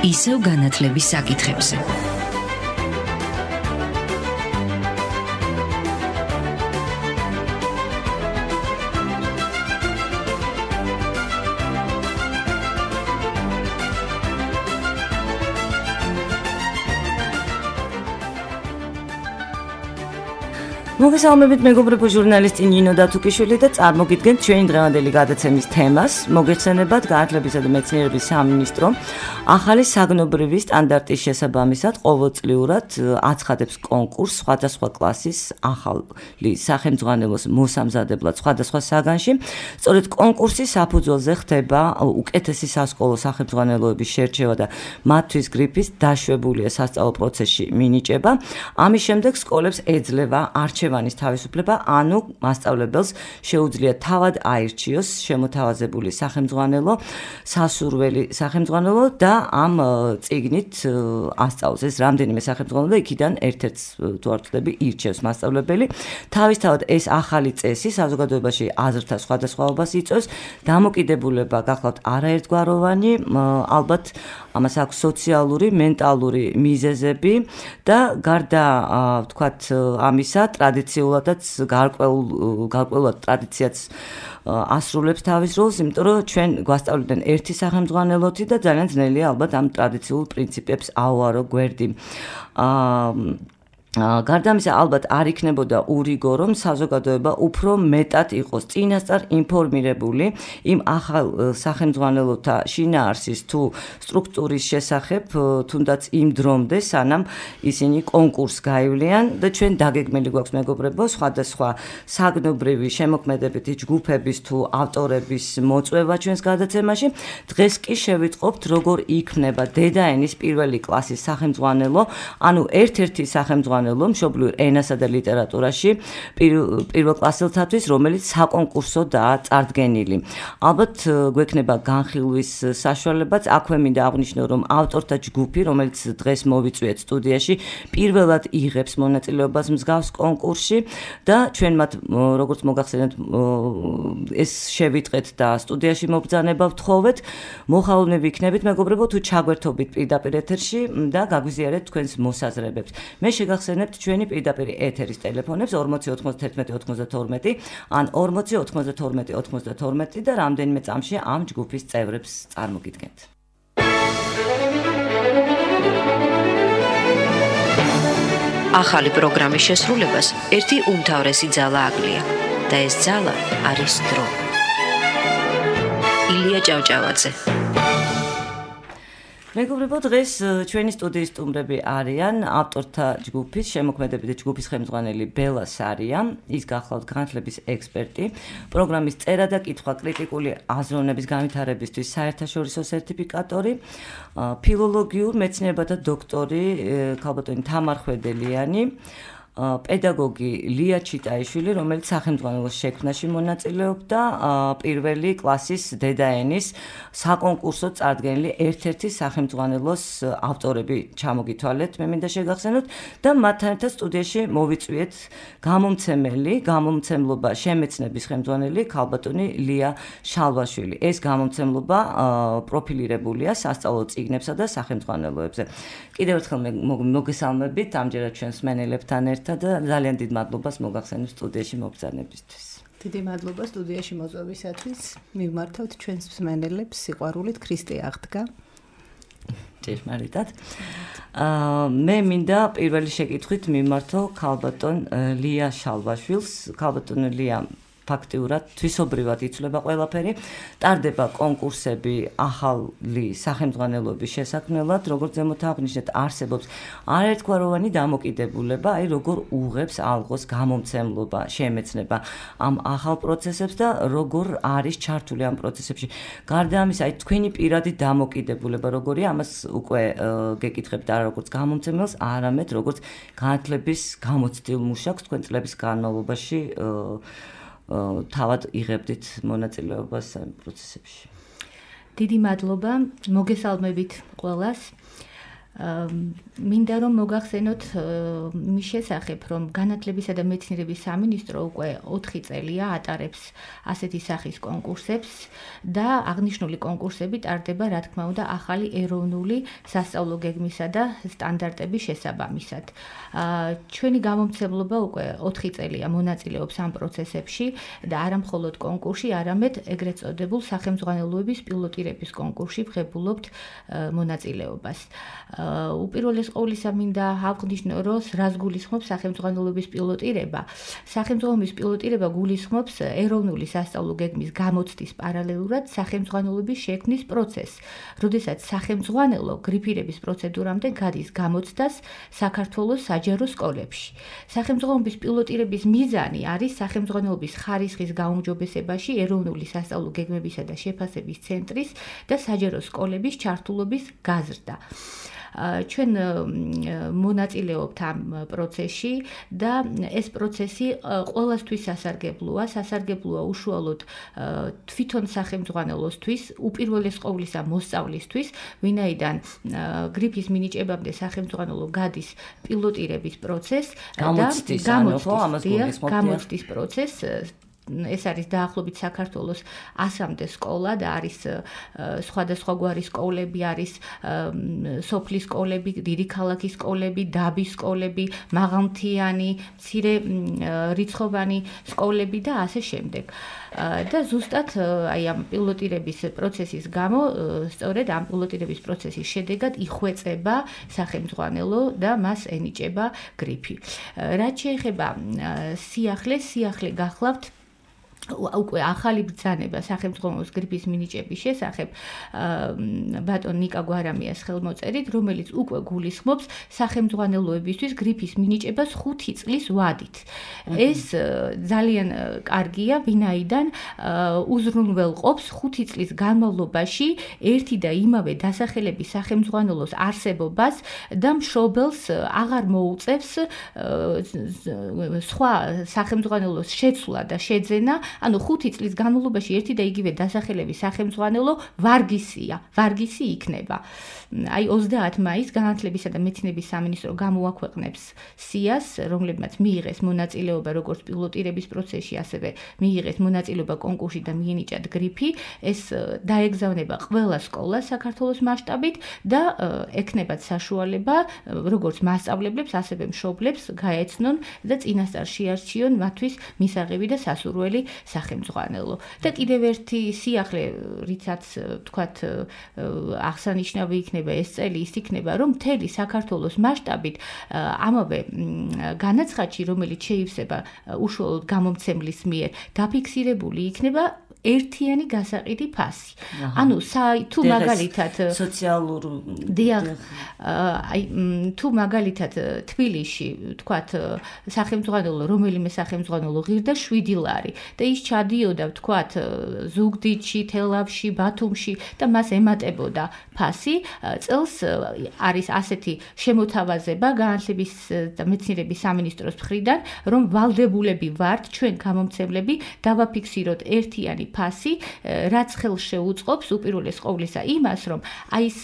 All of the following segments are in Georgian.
ისევ განათლების საკითხებზე. მოგესალმებით მეგობრებო, ჟურნალისტი ნინო დათუკიშვილი და წარმოგიდგენთ ჩვენი დღევანდელი გადაცემის თემას. მოგეხსენებათ განათლებისა და მეცნიერების სამინისტრო ახალი საგნობრივი სტანდარტის შესაბამისად ყოველწლიურად აცხადებს კონკურსს სხვადასხვა კლასის ახალი სახელმძღვანელოს მოსამზადებლად სხვადასხვა საგანში. სწორედ კონკურსის საფუძველზე ხდება უკეთესი სასკოლო სახელმძღვანელოების შერჩევა და მათთვის გრიფის დაშვებულია სასწავლო პროცესში მინიჭება. ამის შემდეგ სკოლებს ეძლევა არჩევანის თავისუფლება, ანუ მასწავლებელს შეუძლია თავად აირჩიოს შემოთავაზებული სახელმძღვანელო, სასურველი სახელმძღვანელო და ამ წიგნით ასწავლოს. ეს რამდენიმე სახელმძღვანელო იქიდან ერთ-ერთს თუ არ ვთვლები ირჩევს მასწავლებელი. თავისთავად ეს ახალი წესი საზოგადოებაში აზრთა სხვადასხვაობას იწვევს. დამოკიდებულება გახლავთ არაერთგვაროვანი, ალბათ ამას აქვს სოციალური, მენტალური მიზეზები და გარდა ვთქვათ ამისა ტრადიციულადაც გარკვეულად ტრადიციაც ასრულებს თავის როლს, იმიტომ რომ ჩვენ გვასწავლიდნენ ერთი სახელმძღვანელოთი და ძალიან ძნელია ალბათ ამ ტრადიციულ პრინციპებს აუარო გვერდი. გარდა ამისა, ალბათ არ იქნებოდა ურიგო, რომ საზოგადოება უფრო მეტად იყოს წინასწარ ინფორმირებული იმ ახალ სახელმძღვანელოთა შინაარსის თუ სტრუქტურის შესახებ, თუნდაც იმ დრომდე, სანამ ისინი კონკურსს გაივლიან და ჩვენ დაგეგმილი გვაქვს მეგობრებო, სხვადასხვა საგნობრივი შემოქმედებითი ჯგუფების თუ ავტორების მოწვევა ჩვენს გადაცემაში. დღეს კი შევიტყობთ, როგორ იქმნება დედაენის პირველი კლასის სახელმძღვანელო, ანუ ერთ-ერთი სახელმძღვანელო მშობლიურ ენასა და ლიტერატურაში პირველკლასელთათვის, რომელიც საკონკურსოდაა წარდგენილი. ალბათ გვექნება განხილვის საშუალებაც. აქვე მინდა აღვნიშნო, რომ ავტორთა ჯგუფი, რომელიც დღეს მოვიწვიეთ სტუდიაში, პირველად იღებს მონაწილეობას მსგავს კონკურსში და ჩვენ მათ როგორც მოგახსენეთ ეს შევიტყეთ და სტუდიაში მობრძანება ვთხოვეთ. მოხალოვნები იქნებით მეგობრებო, თუ ჩაგვერთობით პირდაპირ ეთერში და გაგვიზიარეთ თქვენს მოსაზრებებს. მე შეგახსენებთ ჩვენი პირდაპირ ეთერის ტელეფონებს 40 91 92 ან 40 92 92 და რამდენიმე წამში ამ ჯგუფის წევრებს წარმოგიდგენთ. ახალი პროგრამის შესრულებას ერთი უმთავრესი ძალა აკლია და ეს ძალა არის დრო. ილია ჭავჭავაძე. მეგობრებო, დღეს ჩვენი სტუდიის სტუმრები არიან ავტორთა ჯგუფის, შემოქმედებითი ჯგუფის ხელმძღვანელი ბელა სარია, ის გახლავთ განათლების ექსპერტი, პროგრამის წერა და კითხვა კრიტიკული აზროვნების განვითარებისთვის საერთაშორისო სერტიფიკატორი, ფილოლოგიურ მეცნიერებათა დოქტორი ქალბატონი თამარ ხვედელიანი, პედაგოგი ლია ჩიტაიშვილი, რომელიც სახელმძღვანელოს შექმნაში მონაწილეობდა, პირველი კლასის დედაენის საკონკურსო წარდგენილი ერთ-ერთი სახელმძღვანელოს ავტორები ჩამოგითვალეთ, მე მინდა შეგახსენოთ და მათთან ერთად სტუდიაში მოვიწვიეთ გამომცემელი, გამომცემლობა შემეცნების ხელმძღვანელი ქალბატონი ლია შალვაშვილი. ეს გამომცემლობა პროფილირებულია სასწავლო წიგნებსა და სახელმძღვანელოებზე. კიდევ ერთხელ მოგესალმებით ამჯერად ჩვენს მენელებთან ერთად და ძალიან დიდ მადლობას მოგახსენებ სტუდიაში მობრძანებისთვის. დიდი მადლობა სტუდიაში მოწვევისათვის. მივმართავთ ჩვენს მსმენელებს სიყვარულით, ქრისტე აღდგა. ჭეშმარიტად. მე მინდა პირველი შეკითხვით მიმართო ქალბატონ ლია შალვაშვილს. ქალბატონ ლია ფაქტიურად თვისობრივად იცვლება ყველაფერი. ტარდება კონკურსები ახალი სახელმძღვანელოების შესაქმნელად, როგორც ზემოთ აღნიშნეთ, არსებობს არაერთგვაროვანი დამოკიდებულება, აი როგორ უღებს ალღოს გამომცემლობა, შემეცნება ამ ახალ პროცესებს და როგორ არის ჩართული ამ პროცესებში. გარდა ამისა, აი თქვენი პირადი დამოკიდებულება როგორია, ამას უკვე გეკითხებთ არა როგორც გამომცემელს, არამედ როგორც განათლების გამოცდილ მუშაკს თქვენ წლების განმავლობაში თავად იღებდით მონაწილეობას ამ პროცესებში. დიდი მადლობა, მოგესალმებით ყველას. მინდა რომ მოგახსენოთ მის შესახებ, რომ განათლებისა და მეცნიერების სამინისტრო უკვე 4 წელია ატარებს ასეთი სახის კონკურსებს და აღნიშნული კონკურსები ტარდება, რა თქმა უნდა, ახალი ეროვნული სასწავლო გეგმისა და სტანდარტების შესაბამისად. ჩვენი გამომცემლობა უკვე 4 წელია მონაწილეობს ამ პროცესებში და არა მხოლოდ კონკურსში, არამედ ეგრეთ წოდებულ სახელმძღვანელოების პილოტირების კონკურსში ვღებულობთ მონაწილეობას. უპირველეს ყოვლისა მინდა აღვნიშნო, რომ რას გულისხმობს სახელმძღვანელოების პილოტირება. სახელმძღვანელოების პილოტირება გულისხმობს ეროვნული სასწავლო გეგმის გამოცდის პარალელურად სახელმძღვანელოების შექმნის პროცესს, როდესაც სახელმძღვანელო გრიფირების პროცედურამდე გადის გამოცდას საქართველოს საჯარო სკოლებში. სახელმძღვანელოების პილოტირების მიზანი არის სახელმძღვანელოების ხარისხის გაუმჯობესებაში ეროვნული სასწავლო გეგმებისა და შეფასების ცენტრის და საჯარო სკოლების ჩართულობის გაზრდა. ჩვენ მონაწილეობთ ამ პროცესში და ეს პროცესი ყველასთვის სასარგებლოა უშუალოდ თვითონ სახელმძღვანელოსთვის, უპირველეს ყოვლისა მოსწავლისთვის, ვინაიდან გრიფის მინიჭებამდე სახელმძღვანელო გადის პილოტირების პროცესს და გამოცდის პროცესს. ეს არის დაახლოებით საქართველოს 100-მდე სკოლა და არის სხვადასხვაგვარი სკოლები, არის სოფლის სკოლები, დიდი ქალაქის სკოლები, დაბის სკოლები, მაღალმთიანი, მცირე რიცხოვანი სკოლები და ასე შემდეგ. და ზუსტად აი ამ პილოტირების პროცესის გამო, სწორედ ამ პილოტირების პროცესის შედეგად იხვეწება სახელმძღვანელო და მას ენიჭება გრიფი. რაც შეეხება სიახლე გახლავთ უკვე ახალი ბრძანება სახელმძღვანელოს გრიფის მინიჭების შესახებ ბატონ ნიკა გვარამიას ხელმოწერით, რომელიც უკვე გულისხმობს სახელმძღვანელოებისთვის გრიფის მინიჭებას 5 წლის ვადით. ეს ძალიან კარგია, ვინაიდან უზრუნველყოფს 5 წლის განმავლობაში ერთი და იმავე დასახელების სახელმძღვანელოს არსებობას და მშობელს აღარ მოუწევს სხვა სახელმძღვანელოს შეცვლა და შეძენა. ანუ 5 წლის განმავლობაში ერთი და იგივე დასახელების სახელმძღვანელო ვარგისი იქნება. აი 30 მაისს განათლებისა და მეცნიერების სამინისტრო გამოაქვეყნებს სიას, რომლებმაც მიიღეს მონაწილეობა როგორც პილოტირების პროცესში, ასევე მიიღეს მონაწილეობა კონკურსში და მიენიჭათ გრიფი. ეს დაეგზავნება ყველა სკოლას საქართველოს მასშტაბით და ექნებათ საშუალება როგორც მასწავლებლებს, ასევე მშობლებს გაეცნონ და წინასწარ შეარჩიონ მათთვის მისაღები და სასურველი სახელმძღვანელო. და კიდევ ერთი სიახლე, რითაც თქვათ აღსანიშნავი იქნება ეს წელი, ის იქნება, რომ მთელი საქართველოს მასშტაბით ამავე განაცხადში, რომელიც შეივსება უშუალოდ გამომცემლის მიერ, დაფიქსირებული იქნება ერთიანი გასაყიდი ფასი. ანუ თუ მაგალითად სოციალურ თუ მაგალითად თბილისში თქვათ სახელმძღვანელო, რომელიმე სახელმძღვანელო ღირდა 7 ლარი და ის ჩადიოდა თქვათ ზუგდიდში, თელავში, ბათუმში და მას ემატებოდა ფასი, წელს არის ასეთი შემოთავაზება განათლების და მეცნიერების სამინისტროს მხრიდან, რომ ვალდებულები ვართ ჩვენ გამომცემლები დავაფიქსიროთ ერთიანი ფასი, რაც ხელს შეუწყობს უპირველეს ყოვლისა იმას, რომ აი ეს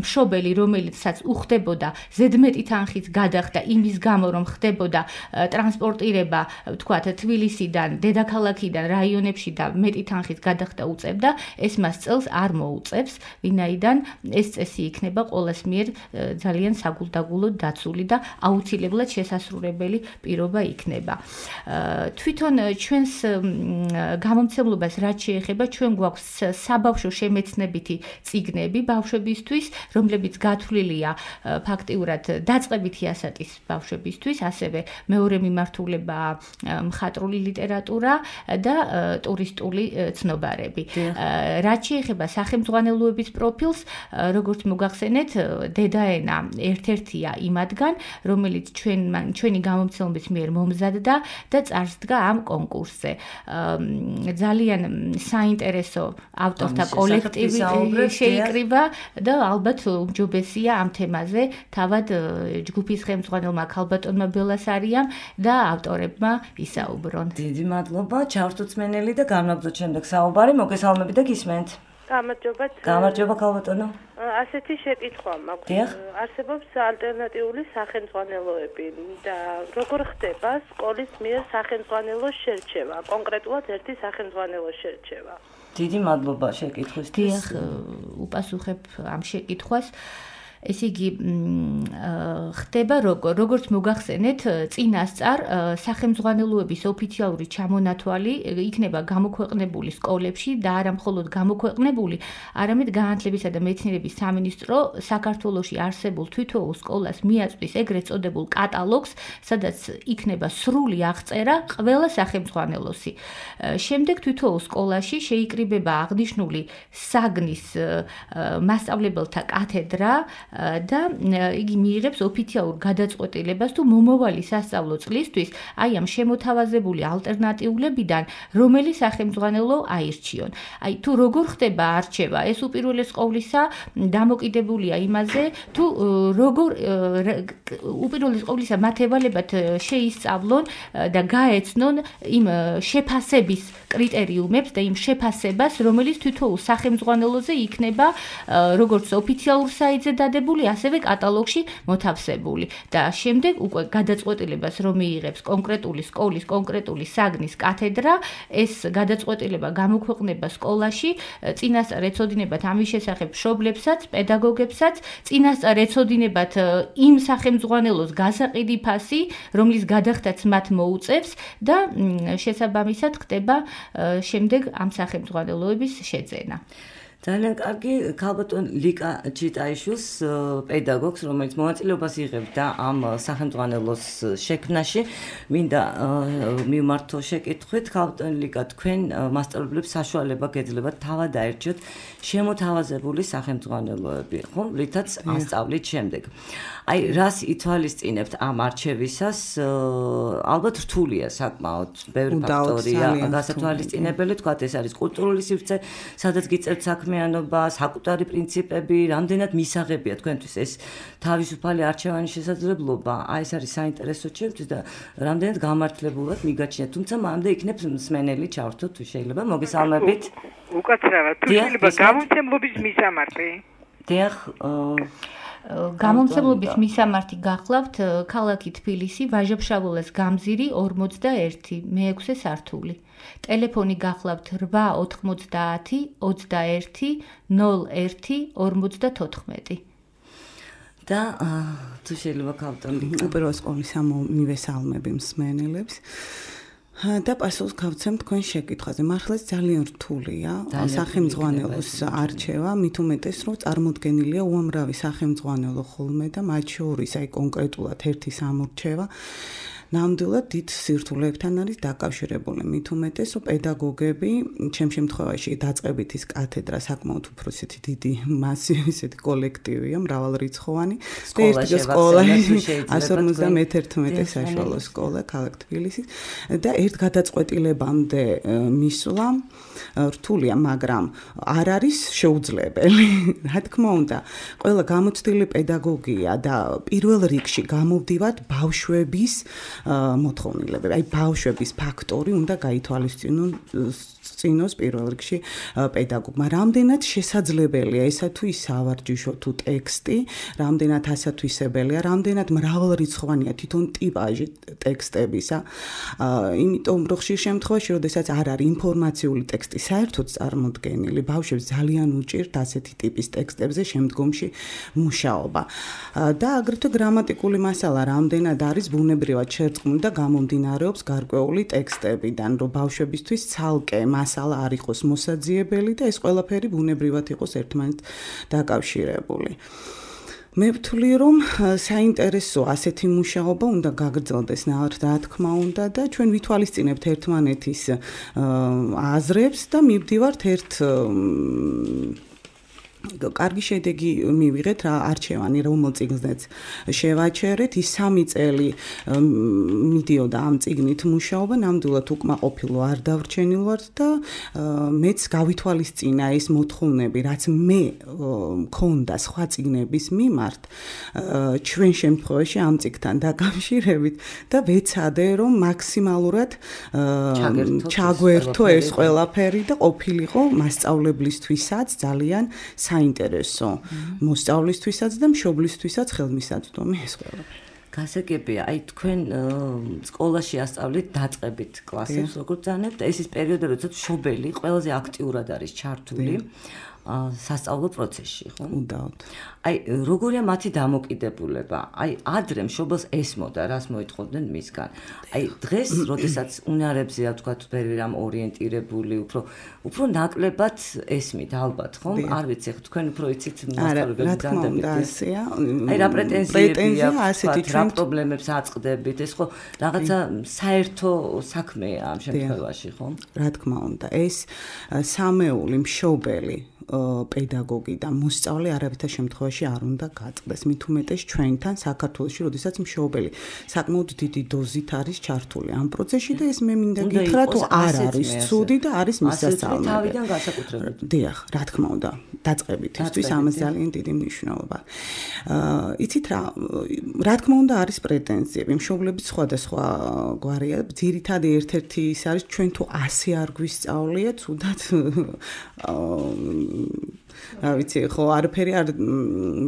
მშობელი, რომელიცაც უხდებოდა ზედმეტი თანხის გადახდა იმის გამო, რომ ხდებოდა ტრანსპორტირება, თქვათ, თბილისიდან, დედაქალაქიდან, რაიონებში და მეტი თანხის გადახდა უწევდა, ეს მას წელს არ მოუწევს, ვინაიდან ეს წესი იქნება ყოველას მიერ ძალიან საგულდაგულოდ დაცული და აუცილებლად შესასრულებელი პირობა იქნება. თვითონ ჩვენს გამომცემლობას რაც შეეხება, ჩვენ გვაქვს საბავშვო შემეცნებითი წიგნები ბავშვებისთვის, რომლებიც გათვლილია ფაქტიურად დაწყებითი ასაკის ბავშვებისთვის, ასევე მეორე მიმართულება მხატვრული ლიტერატურა და ტურისტული ცნობარები. რაც შეეხება სახელმძღვანელოების პროფილს, როგორც მოგახსენეთ, დედაენა ერთ-ერთია იმათგან, რომელიც ჩვენი გამომცემლობის მიერ მომზადდა და წარსდგა ამ კონკურსზე. ძალიან საინტერესო ავტორთა კოლექტივი შეიკრიბა და ალბათ უმჯობესია ამ თემაზე თავად ჯგუფის ხელმძღვანელმა ქალბატონმა ბელასარიამ და ავტორებმა ისაუბრონ. დიდი მადლობა, ჩავთუცმენელი და განვაგრძოთ შემდეგ საუბარი. მოგესალმებით და გისმენთ. გამარჯობა ქალბატონო. ასეთი შეკითხვა მაქვს. არსებობს ალტერნატიული სახელმძღვანელოები და როგორ ხდება სკოლის მიერ სახელმძღვანელოს შერჩევა, კონკრეტულად ერთი სახელმძღვანელოს შერჩევა? დიდი მადლობა შეკითხვისთვის. დიახ, უპასუხებ ამ შეკითხვას. ესე იგი ხდება როგორც მოგახსენეთ წინასწარ სახელმძღვანელოების ოფიციალური ჩამონათვალი იქნება გამოქვეყნებული სკოლებში და არა მხოლოდ გამოქვეყნებული, არამედ განათლებისა და მეცნიერების სამინისტრო საქართველოში არსებულ თითოეულ სკოლას მიაწვის ეგრეთ წოდებულ კატალოგს, სადაც იქნება სრული აღწერა ყველა სახელმძღვანელოსი. შემდეგ თითოეულ სკოლაში შეიკრიბება აღნიშნული საგნის მასწავლებელთა კათედრა და იგი მიიღებს ოფიციალურ გადაწყვეტილებას თუ მომავალი სასწავლო წლისთვის აი ამ შემოთავაზებული ალტერნატიულებიდან რომელი სახელმძღვანელო აირჩიონ. აი თუ როგორ ხდება არჩევა, ეს უპირველეს ყოვლისა დამოკიდებულია იმაზე, თუ როგორ უპირველეს ყოვლისა მათ ევალებათ შეისწავლონ და გაეცნონ იმ შეფასების კრიტერიუმებს და იმ შეფასებას, რომელიც თითოეულ სახელმძღვანელოზე იქნება როგორც ოფიციალურ საიტზე დადებული, ასევე კატალოგში მოთავსებული და შემდეგ უკვე გადაწყვეტილებას რომ მიიღებს კონკრეტული სკოლის, კონკრეტული საგნის კათედრა, ეს გადაწყვეტილება გამოქვეყნება სკოლაში, წინასწარ ეცოდინებათ ამის შესახებ მშობლებსაც, პედაგოგებსაც, წინასწარ ეცოდინებათ იმ სახელმძღვანელოს გასაყიდი ფასი, რომლის გადახდაც მათ მოუწევს და შესაბამისად ხდება შემდეგ ამ სახელმძღვანელოების შეძენა. ძალიან კარგი, ქალბატონ ლიკა ჩიტაიშვილს, პედაგოგს, რომელიც მონაწილეობას იღებდა ამ სახელმძღვანელოს შექმნაში, მინდა მივმართო შეკითხვით, ქალბატონ ლიკა, თქვენ მასწავლებლებს საშუალება გეძლებათ თავად აერჩიოთ შემოთავაზებული სახელმძღვანელოები, ხო, რითაც ასწავლით შემდეგ. აი, რას ითვალისწინებთ ამ არჩევისას? ალბათ რთულია საკმაოდ, ბევრი ფაქტორია გასათვალისწინებელი, თქვათ ეს არის კულტურული სივრცე, სადაც გიწერთ საქმიანობა, საკუთარი პრინციპები, რამდენად მისაღებია თქვენთვის ეს თავისუფალი არჩევანის შესაძლებლობა. აი, ეს არის საინტერესო ჩემთვის და რამდენად გამართლებულად მიგაჩნიათ, თუმცა მანამდე იქნებ მსმენელი ჩავრთოთ, თუ შეიძლება, მოგესალმებით. უკაცრავად, თუ შეიძლება გამომცემლობის მისამართი. დიახ, გამომცემლობის მისამართი გახლავთ ქალაქი თბილისი, ვაჟა-ფშაველას გამზირი 41, მე-6 სართული. ტელეფონი გახლავთ 890 21 01 54. და თუ შეიძლება ქალბატონ ლიკა. უპირველეს ყოვლისა მივესალმები მსმენელებს. და პასუხს გავცემ თქვენ შეკითხვაზე. მართლაც ძალიან რთულია სახელმძღვანელოს არჩევა, მით უმეტეს რომ წარმოდგენილია უამრავი სახელმძღვანელო ხოლმე და მათ შორის აი კონკრეტულად ერთის ამორჩევა ნამდვილად დიდ სირთულეებთან არის დაკავშირებული. მით უმეტეს რომ პედაგოგები, ჩემ შემთხვევაში დაწყებით ის კათედრა საკმაოდ უფრო ისეთი დიდი მასივი, ისეთი კოლექტივია, მრავალრიცხოვანი. სკოლა 151 საშუალო სკოლა ქალაქ თბილისის და ერთ გადაწყვეტილებამდე მისვლა რთულია, მაგრამ არ არის შეუძლებელი. რა თქმა უნდა, ყველა გამოცდილი პედაგოგია და პირველ რიგში გამოვდივართ ბავშვების მოთხოვნილებები. აი ბავშვების ფაქტორი უნდა გაითვალისწინონ წინოს პირველ რიგში პედაგოგმა. რამდენად შესაძლებელია ესა თუ ის სავარჯიშო თუ ტექსტი, რამდენად ასათვისებელია, რამდენად მრავალრიცხოვანია თვითონ ტიპაჟი ტექსტებისა. იმიტომ რომ ხშირ შემთხვევაში, როდესაც არ არის ინფორმაციული ტექსტი საერთოდ წარმოდგენილი, ბავშვებს ძალიან უჭირთ ასეთი ტიპის ტექსტებზე შემდგომში მუშაობა. და აგრეთვე გრამატიკული მასალა, რამდენად არის ბუნებრივად შერწყმული და გამომდინარეობს გარკვეული ტექსტებიდან, რომ ბავშვებისთვის ცალკე მასალა არ იყოს მოსაძიებელი და ეს ყველაფერი ბუნებრივად იყოს ერთმანეთს დაკავშირებული. მე ვთვლი რომ საინტერესო ასეთი მუშაობა უნდა გაგრძელდეს რა თქმა უნდა და ჩვენ ვითვალისწინებთ ერთმანეთის აზრებს და მივდივართ ერთ კარგი შედეგი მივიღეთ რა არჩევანი რომელ წიგნზეც შევაჩერეთ ის 3 წელი მიდიოდა ამ წიგნით მუშაობა ნამდვილად უკმაყოფილო არ დავრჩენილ ვარ და მეც გავითვალისწინა ეს მოთხოვნები რაც მე მქონდა სხვა წიგნების მიმართ ჩვენ შემთხვევაში ამ წიგნთან დაკავშირებით და ვეცადე რომ მაქსიმალურად ჩაგვერთო ეს ყველაფერი და ყოფილიყო მასწავლებლისთვისაც ძალიან საინტერესო მოსწავლისთვისაც და მშობლისთვისაც ხელმისაწვდომი ეს ყველაფერი. გასაგებია, აი თქვენ სკოლაში ასწავლით დაწყებით კლასებს, როგორც ძანებთ, ეს ის პერიოდი, როდესაც მშობელი ყველაზე აქტიურად არის ჩართული სასწავლო პროცესში, ხო? უდაოდ. აი როგორია მათი დამოკიდებულება? აი ადრე მშობელს ესმოდა, რას მოითხოვდნენ მისგან. აი დღეს, როდესაც უნარებზეა თქვათ ვერამ ორიენტირებული, უფრო ნაკლებად ესმით ალბათ, ხო? არ ვიცი, თქვენ უფრო იცით მასწავლებლებს განდებით. აი რა პრეტენზიები აქვს, რა პრობლემებს აწყდებით, ეს ხო რაღაცა საერთო საქმეა ამ შემთხვევაში, ხო? რა თქმა უნდა, ეს სამეული მშობელი პედაგოგი და მოსწავლე არავითარ შემთხვევაში არ უნდა გაწყდეს. მით უმეტეს ჩვენთან საქართველოში, როდესაც მშობელი საკმაოდ დიდი დოზით არის ჩართული ამ პროცესში და ეს მე მინდა გითხრა თუ არ არის ცუდი და არის მისასალმები. თავიდან განსაკუთრებით. დიახ, რა თქმა უნდა, დაწყებით ისთვის ამას ძალიან დიდი მნიშვნელობა. იცით რა თქმა უნდა არის პრეტენზიები. მშობლები სხვადასხვა გვარია. ძირითადი ერთ-ერთი ის არის ჩვენ თუ 100 არ გვისწავლია, თუდად რა ვიცი, ხო, არაფერი არ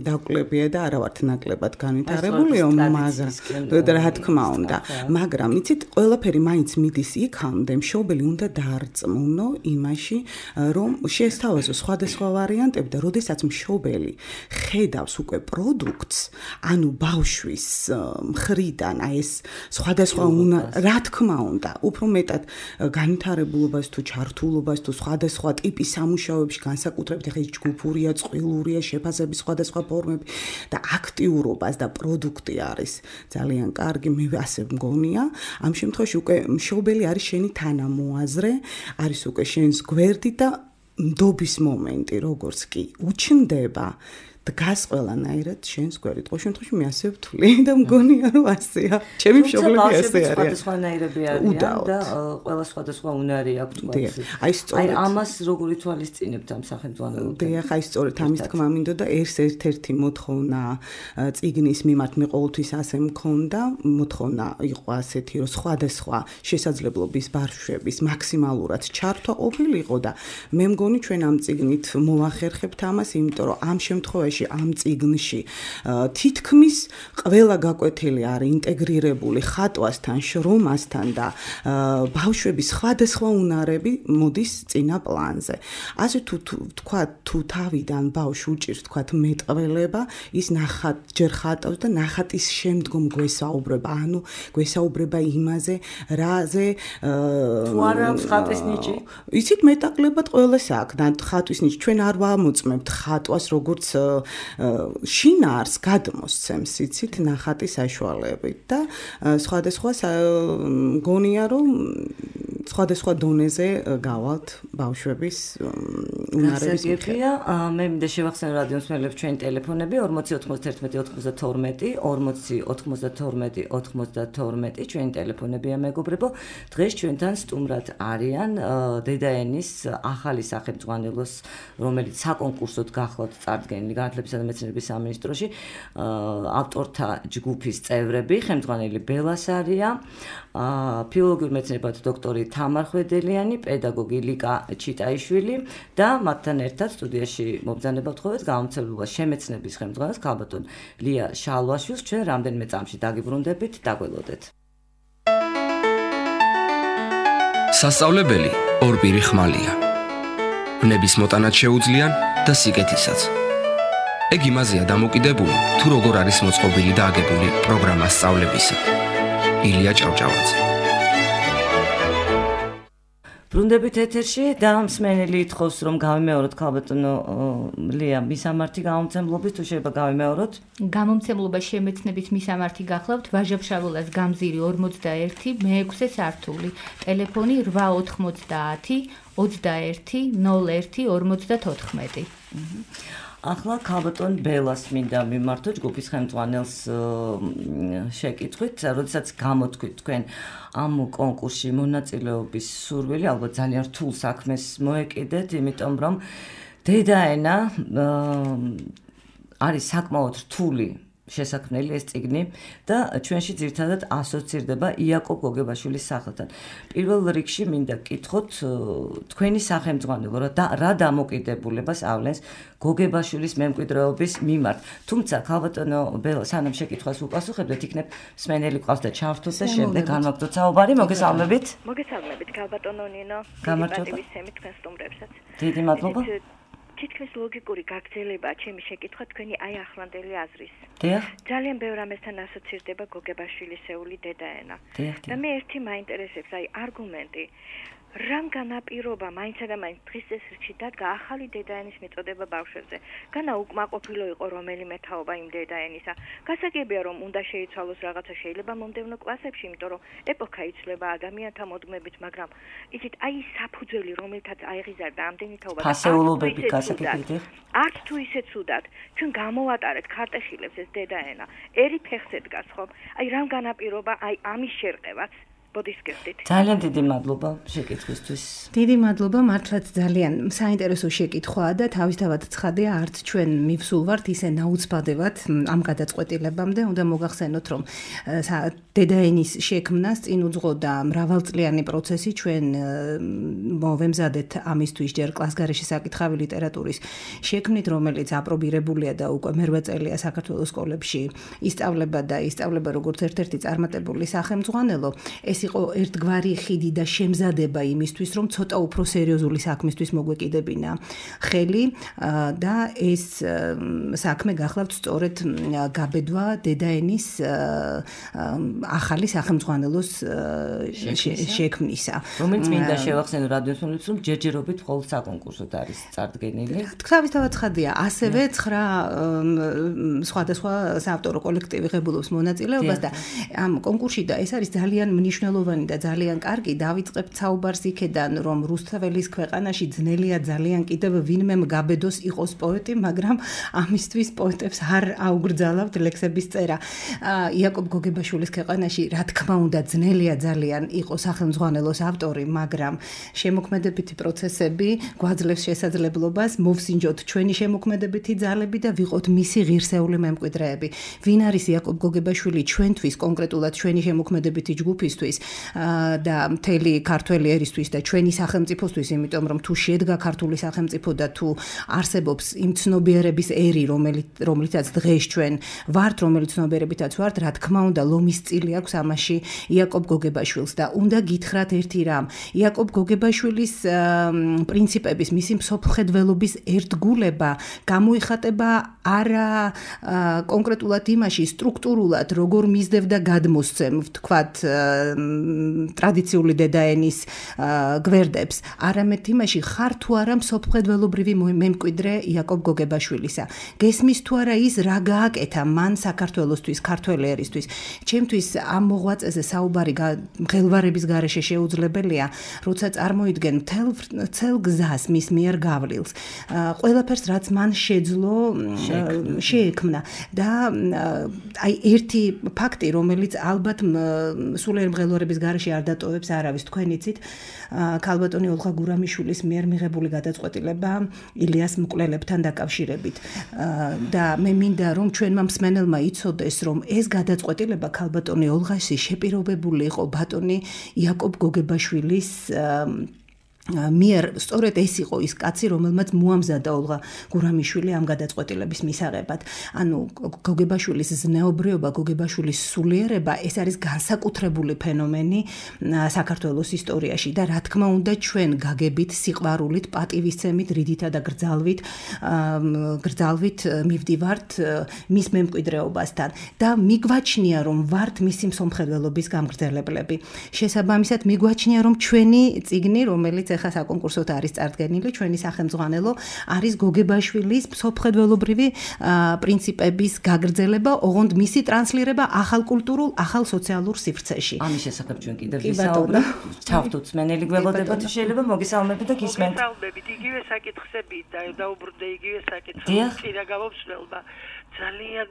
დაკლებია და არა ვართ ნაკლებად განვითარებულიო, მაგრამ რა თქმა უნდა, მაგრამ იცით, ყველაფერი მაინც მიდის იქამდე, მშობელი უნდა დაარწმუნო იმაში, რომ შეესთავაზო სხვადასხვა ვარიანტები და როდესაც მშობელი ხედავს უკვე პროდუქტს, ანუ ბავშვის მხრიდან აი ეს სხვადასხვა რა თქმა უნდა, უფრო მეტად განვითარებულობას თუ ჩართულობას თუ სხვადასხვა ტიპის სამუშაოებში განსაკუთრებით ეხლა ჯგუფურია, წყვილურია, შეფასების სხვადასხვა ფორმები და აქტიურობას და პროდუქტი არის ძალიან კარგი, მე ასე მგონია. ამ შემთხვევაში უკვე მშობელი არის შენი თანამოაზრე, არის უკვე შენს გვერდი და ნდობის მომენტი, როგორც კი უჩნდება დგას ყველანაირად შენს გვერდით. ყოველ შემთხვევაში მე ასე ვთვლი და მგონია რომ ასეა. ჩემი მშობლები ასე არიან. სხვადასხვანაირები არიან და ყველა სხვადასხვა უნარი აქვს თქვათ. აი ამას როგორ ითვალისწინებთ ამ სახელმძღვანელოებთან? დიახ, აი სწორედ ამის თქმა მინდოდა ეს ერთ-ერთი მოთხოვნა წიგნის მიმართ მე ყოველთვის ასე მქონდა, მოთხოვნა იყო ასეთი, რომ სხვადასხვა შესაძლებლობის ბავშვების მაქსიმალურად ჩართვა ყოფილიყო და მე მგონი ჩვენ ამ წიგნით მოახერხებთ ამას, იმიტომ რომ ამ შემთხვევაში ამ წიგნში თითქმის ყველა გაკვეთილი არის ინტეგრირებული ხატვასთან, შრომასთან და ბავშვების სხვადასხვა უნარები მოდის წინა პლანზე. ასე თქვა თუ თავიდან ბავშვი უჭირს თქვა მეტყველება, ის ჯერ ხატავს და ნახატის შემდგომ გვესაუბრება, ანუ გვესაუბრება იმაზე, რაზე თუ არა ხატვის ნიჭი. იცით მეტაკლებად ყველას აქვს და ხატვის ნიჭი ჩვენ არ ვამოწმებთ ხატვას როგორც შინაარს გადმოსცემს იცით ნახატის საშუალებით და სხვადასხვა გონია რომ სხვადასხვა დონეზე გავალთ ბავშვების უნარების მიხედვით. მე მინდა შევახსენო რადიო მსმენელებს ჩვენი ტელეფონები 409192 4092 ჩვენი ტელეფონებია მეგობრებო. დღეს ჩვენთან სტუმრად არიან დედაენის ახალი სახელმძღვანელოს, რომელიც საკონკურსოდ გახლავთ წარდგენილი განათლებისა და მეცნიერების სამინისტროში, ავტორთა ჯგუფის წევრები, ხელმძღვანელი ბელასარია, ფილოლოგიურ მეცნიერებათა დოქტორი თამარ ხვედელიანი, პედაგოგი ლიკა ჩიტაიშვილი და მათთან ერთად სტუდიაში მობრძანება ვთხოვეთ გამომცემლობა შემეცნების ხელმძღვანელს ქალბატონ ლია შალვაშვილს. ჩვენ რამდენიმე წამში დაგიბრუნდებით, დაგველოდეთ. სასწავლებელი ორპირი ხმალია. ბნების მოტანაც შეუძლიან და სიკეთისაც. ეგ იმაზეა დამოკიდებული, თუ როგორ არის მოწყობილი და აგებული პროგრამა სწავლებისა. ილია ჭავჭავაძე. ბრუნდებით ეთერში და მსმენელი ითხოვს რომ გავიმეოროთ ქალბატონო ლია მისამართი გამომცემლობის, თუ შეიძლება გავიმეოროთ? გამომცემლობა შემეცნების მისამართი გახლავთ ვაჟა-ფშაველას გამზირი 41 მე-6 სართული. ტელეფონი 890 21 01 54. ახლა ქალბატონ ბელას მინდა მიმართო ჯგუფის ხელმძღვანელს შეკითხვით, როდესაც გამოთქვით თქვენ ამ კონკურსში მონაწილეობის სურვილი, ალბათ ძალიან რთულ საქმეს მოეკიდეთ, იმიტომ რომ დედაენა არის საკმაოდ რთული შესაქმნელი ეს წიგნი და ჩვენში ძირითადად ასოცირდება იაკობ გოგებაშვილის სახელთან. პირველ რიგში მინდა გკითხოთ თქვენი სახელმძღვანელო რა დამოკიდებულებას ავლენს გოგებაშვილის მემკვიდრეობის მიმართ. თუმცა ქალბატონო ბელა სანამ შეკითხვას უპასუხებდეთ, იქნებ მსმენელი ყავს და ჩავთვლოთ და შემდეგ განვაგრძელოთ საუბარი. მოგესალმებით. მოგესალმებით ქალბატონო ნინო. გამარჯობა. თქვენ სტუმრებსაც. დიდი მადლობა. თითქმის ლოგიკური გაგრძელება ჩემი შეკითხვა თქვენი აი ახლანდელი აზრის. დიახ. ძალიან ბევრ ამასთან ასოცირდება გოგებაშვილისეული დედაენა. და მე ერთი მაინტერესებს აი არგუმენტი. რამ განაპირობა მაინც და მაინც დღის წესრიგში დადგა ახალი დედაენის მიწოდება ბავშვებზე. განა უკმაყოფილო იყო რომელიმე თაობა იმ დედაენისა. გასაგებია რომ უნდა შეიცვალოს რაღაცა შეიძლება მომდევნო კლასებში, იმიტომ რომ ეპოქა იცვლება ადამიანთა მოდგმებით, მაგრამ იცით აი საფუძველი რომელთაც აიღიზარდა ამდენი თაობა ფასეულობები გასაგებია. არც თუ ისე ცუდად ჩვენ გამოვატარეთ ქარტეხილებს ეს დედაენა. ერი ფეხზე დგას ხომ? აი რამ განაპირობა აი ამის შერყევაც ძალიან დიდი მადლობა შეკითხვისთვის. დიდი მადლობა, მართლაც ძალიან საინტერესო შეკითხვაა და თავისთავად ცხადია, არც ჩვენ მივსულ ვართ ისე ნაუცბადებად ამ გადაწყვეტილებამდე. უნდა მოგახსენოთ, რომ დედაენის შექმნას წინ უძღოდა მრავალწლიანი პროცესი. ჩვენ მოვემზადეთ ამისთვის ჯერ კლასგარეში საკითხავი ლიტერატურის შექმნით, რომელიც აპრობირებულია და უკვე მერვე წელია საქართველოს სკოლებში ისწავლება როგორც ერთ-ერთი წარმატებული სახელმძღვანელო. ეს იყო ერთგვარი ხიდი და შემზადება იმისთვის, რომ ცოტა უფრო სერიოზული საქმისთვის მოგვეკიდებინა ხელი და ეს საქმე გახლავთ სწორედ გაბედვა დედაენის ახალი სახელმძღვანელოს შექმნისა. რომელიც მინდა შევახსენო რადიოსმენელებს, რომ ჯერჯერობით მხოლოდ საკონკურსოდ არის წარდგენილი. თავისთავად ცხადია, ასევე 9 სხვადასხვა საავტორო კოლექტივი ღებულობს მონაწილეობას და ამ კონკურსში და ეს არის ძალიან მნიშვნელოვანი და ძალიან კარგი. დავიწყებთ საუბარს იქედან, რომ რუსთაველის ქვეყანაში ძნელია ძალიან კიდევ ვინმე გაბედოს იყოს პოეტი, მაგრამ ამისთვის პოეტებს არ აუგრძალავთ ლექსების წერა. იაკობ გოგებაშვილის ქვეყანაში რა თქმა უნდა ძნელია ძალიან იყოს სახელმძღვანელოს ავტორი, მაგრამ შემოქმედებითი პროცესები გვაძლევს შესაძლებლობას მოვსინჯოთ ჩვენი შემოქმედებითი ძალები და ვიყოთ მისი ღირსეული მემკვიდრეები. ვინ არის იაკობ გოგებაშვილი ჩვენთვის, კონკრეტულად ჩვენი შემოქმედებითი ჯგუფისთვის და მთელი ქართველი ერისთვის და ჩვენი სახელმწიფოსთვის, იმიტომ რომ თუ შედგა ქართული სახელმწიფო და თუ არსებობს იმ ცნობიერების ერი, რომელიცაც დღეს ჩვენ ვართ, რომელიც ცნობიერებითაც ვართ, რა თქმა უნდა, ლომის წილი აქვს ამაში იაკობ გოგებაშვილს და უნდა გითხრათ ერთი რამ. იაკობ გოგებაშვილის პრინციპების, მისი მსოფლმხედველობის ერთგულება გამოიხატება არა კონკრეტულად იმაში, სტრუქტურულად, როგორ მისდევდა გადმოსცემ, ვთქვათ, ტრადიციული დედაენის გვერდებს, არამედ იმაში ხარ თუ არა მსოფლმხედველობრივი მემკვიდრე იაკობ გოგებაშვილისა. გესმის თუ არა ის რა გააკეთა მან საქართველოსთვის, ქართველ ერისთვის. ჩემთვის ამ მოღვაწეზე საუბარი მღელვარების გარეშე შეუძლებელია, როცა წარმოიდგენ მთელ გზას მის მიერ გავლილს. ყველაფერს რაც მან შეძლო შეექმნა და აი ერთი ფაქტი, რომელიც ალბათ სულიერ მღელვარების გარეშე არ დატოვებს არავის, თქვენ იცით, ქალბატონი ოლღა გურამიშვილის მიერ მიღებული გადაწყვეტილება ილიას მკვლელებთან დაკავშირებით. და მე მინდა რომ ჩვენმა მსმენელმა იცოდეს, რომ ეს გადაწყვეტილება ქალბატონი ოლღაში შეპირობებული იყო ბატონი იაკობ გოგებაშვილის მიერ. სწორედ ეს იყო ის კაცი, რომელმაც მოამზადა ოლღა გურამიშვილი ამ გადაწყვეტილების მისაღებად. ანუ გოგებაშვილის ზნეობრიობა, გოგებაშვილის სულიერება, ეს არის განსაკუთრებული ფენომენი საქართველოს ისტორიაში და რა თქმა უნდა ჩვენ გაგებით, სიყვარულით, პატივისცემით, რიდითა და გრძალვით მივდივართ მის მემკვიდრეობასთან და მიგვაჩნია რომ ვართ მისი მსოფლმხედველობის გამგრძელებლები. შესაბამისად მიგვაჩნია რომ ჩვენი წიგნი, რომელიც ახლა საკონკურსოდ არის წარდგენილი ჩვენი სახელმძღვანელო არის გოგებაშვილის მსოფლმხედველობრივი პრინციპების გაგრძელება, ოღონდ მისი ტრანსლირება ახალ კულტურულ, ახალ სოციალურ სივრცეში. ამის შესახებ ჩვენ კიდევ ვისაუბრებთ. ჩავთვით მენელი გველოდება თუ შეიძლება მოგესალმებით და გისმენთ. მოგესალმებით, იგივე საკითხები და დაუბრუნდა იგივე საკითხები წინა გამომცნელმა. ძალიან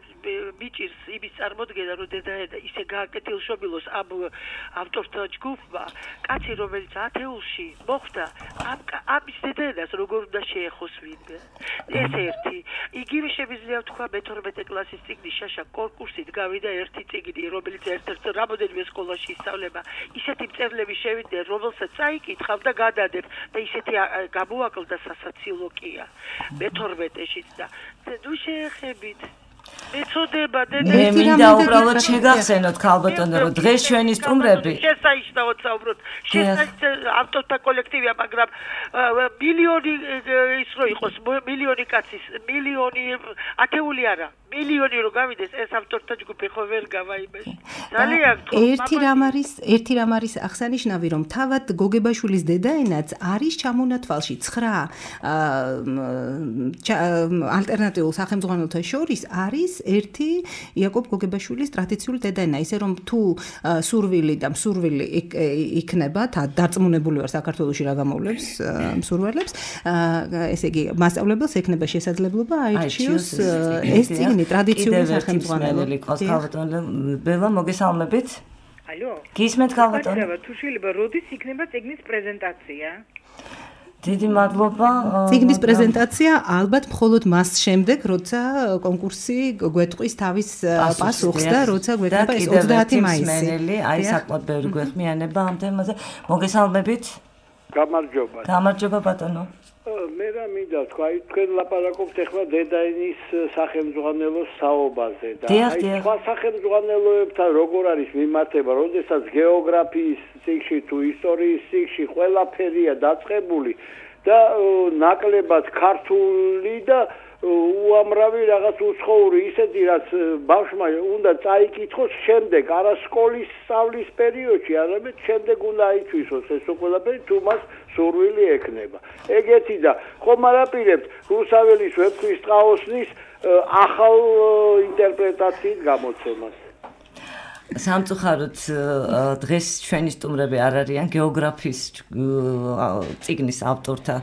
მიჭირს იმის წარმოდგენა, რომ დედაენა ისე გააკეთილშობილოს ამ ავტორთა ჯგუფმა, კაცი რომელიც ათეულში მოხვდა, ამის დედაენას როგორ უნდა შეეხოს ვინმე. ეს ერთი. იგივე შემიძლია ვთქვა მე-12 კლასის წიგნის შაშა კონკურსით გავიდა ერთი წიგნი, რომელიც ერთ-ერთ რამოდენიმე სკოლაში ისწავლება. ისეთი მწერლები შევიდნენ, რომელსაც წაიკითხავ და გადადებ და ისეთი გამოაკლდა სასაცილოყია მე-12-შიც და ნუ შეეხებით მეწოდება მე მინდა უბრალოდ შეგახსენოთ ქალბატონო რომ დღეს ჩვენი სტუმრები შესანიშნავად საუბრობთ ავტორთა კოლექტივია მაგრამ მილიონი ის რო იყოს მილიონი კაცის მილიონი ათეული არა მილიონი რო გავიდეს ეს ავტორთა ჯგუფი ხო ვერ გავაიბეს ძალიან ერთი რამ არის აღსანიშნავი რომ თავად გოგებაშვილის დედაენაც არის ჩამონათვალში 9 ალტერნატიულ სახელმძღვანელოთა შორის არის ერთი იაკობ გოგებაშვილის ტრადიციული დედაენა ისე რომ თუ სურვილი და მსურვილი იქნება დარწმუნებული ვარ საქართველოში რა გამოვლებს მსურველებს ესე იგი მასწავლებელს ექნება შესაძლებლობა აირჩიოს ეს წიგნი ტრადიციული სახელმძღვანელო ქალბატონო ბელა მოგესალმებით ალო გისმენთ ქალბატონო თუ შეიძლება როდის იქნება წიგნის პრეზენტაცია დიდი მადლობა. წიგნის პრეზენტაცია ალბათ მხოლოდ მას შემდეგ, როცა კონკურსი გვეტყვის თავის პასუხს და როცა გვექნება ეს 30 მაისი. აი საკმაოდ ბევრი გვეხმიანება ამ თემაზე. მოგესალმებით. გამარჯობა. გამარჯობა ბატონო. მე რა მინდა თქვა, აი თქვენ ლაპარაკობთ ახლა დედაენის სახელმძღვანელოს საუბარზე და აი სხვა სახელმძღვანელოებთან როგორ არის მიმართება, როდესაც გეოგრაფიის წიგნში თუ ისტორიის წიგნში ყველაფერია დაწყებული და ნაკლებად ქართული და უამრავი რაღაც უცხოური ისეთი რაც ბავშვმა უნდა წაიკითხოს შემდეგ არა სკოლის სწავლის პერიოდში, არამედ შემდეგ უნდა აიცვისოს ეს ყველაფერი თუ მას სურვილი ექნება. ეგეთი და ხომ არაპირებთ რუსაველის ვეფხვის ტყაოსნის ახალ ინტერპრეტაციით გამოცემას. სამწუხაროდ დღეს ჩვენი სტუმრები არ არიან გეოგრაფიის წიგნის ავტორთა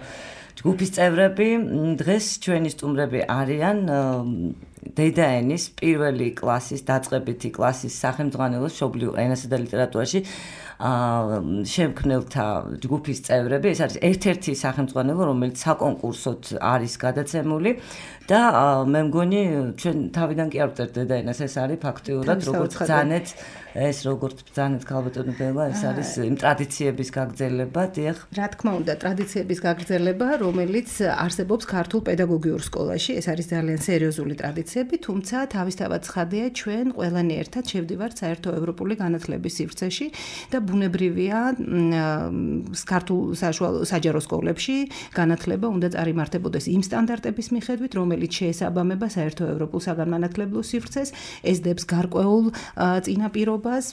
ჯგუფის წევრები. დღეს ჩვენი სტუმრები არიან დედაენის პირველი კლასის დაწყებითი კლასის სახელმძღვანელოს მშობლიურ ენასა და ლიტერატურაში შემქმნელთა ჯგუფის წევრები. ეს არის ერთ-ერთი სახელმძღვანელო, რომელიც საკონკურსოდ არის გადაცემული და მე მგონი ჩვენ თავიდან კი არ ვწერთ დედაენას, ეს არის ფაქტიურად როგორც ბრძანეთ ეს როგორც ბრძანეთ ქალბატონო ბელა, ეს არის იმ ტრადიციების გაგრძელება, დიახ. რა თქმა უნდა, ტრადიციების გაგრძელება, რომელიც არსებობს ქართულ პედაგოგიურ სკოლაში, ეს არის ძალიან სერიოზული ტრადიციები, თუმცა თავისთავად ცხადია, ჩვენ ყველანი ერთად შევდივართ საერთო ევროპული განათლების სივრცეში და ბუნებრივია ქართულ საშუალო საჯარო სკოლებში განათლება უნდა წარიმართებოდეს იმ სტანდარტების მიხედვით, რომელიც შეესაბამება საერთო ევროპულ საგანმანათლებლო სივრცეს, ესდებს გარკვეულ წინაპირობას,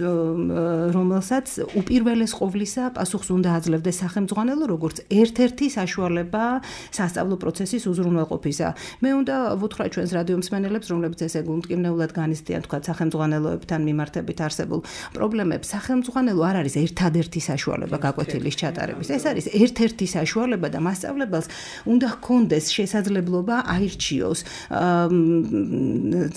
რომელსაც უპირველეს ყოვლისა პასუხს უნდა აძლევდეს სახელმძღვანელო, როგორც ერთ-ერთი საშუალება სასწავლო პროცესის უზრუნველყოფისა. მე უნდა ვუთხრა ჩვენს რადიო მსმენელებს, რომლებიც ესე გულმტკივნეულად განიცდიან თქვა სახელმძღვანელოებთან მიმართებით არსებულ პრობლემებს. სახელმძღვანელო არ არის ერთადერთი საშუალება გაკვეთილის ჩატარების. ეს არის ერთ-ერთი საშუალება და მასწავლებელს უნდა ჰქონდეს შესაძლებლობა აირჩიოს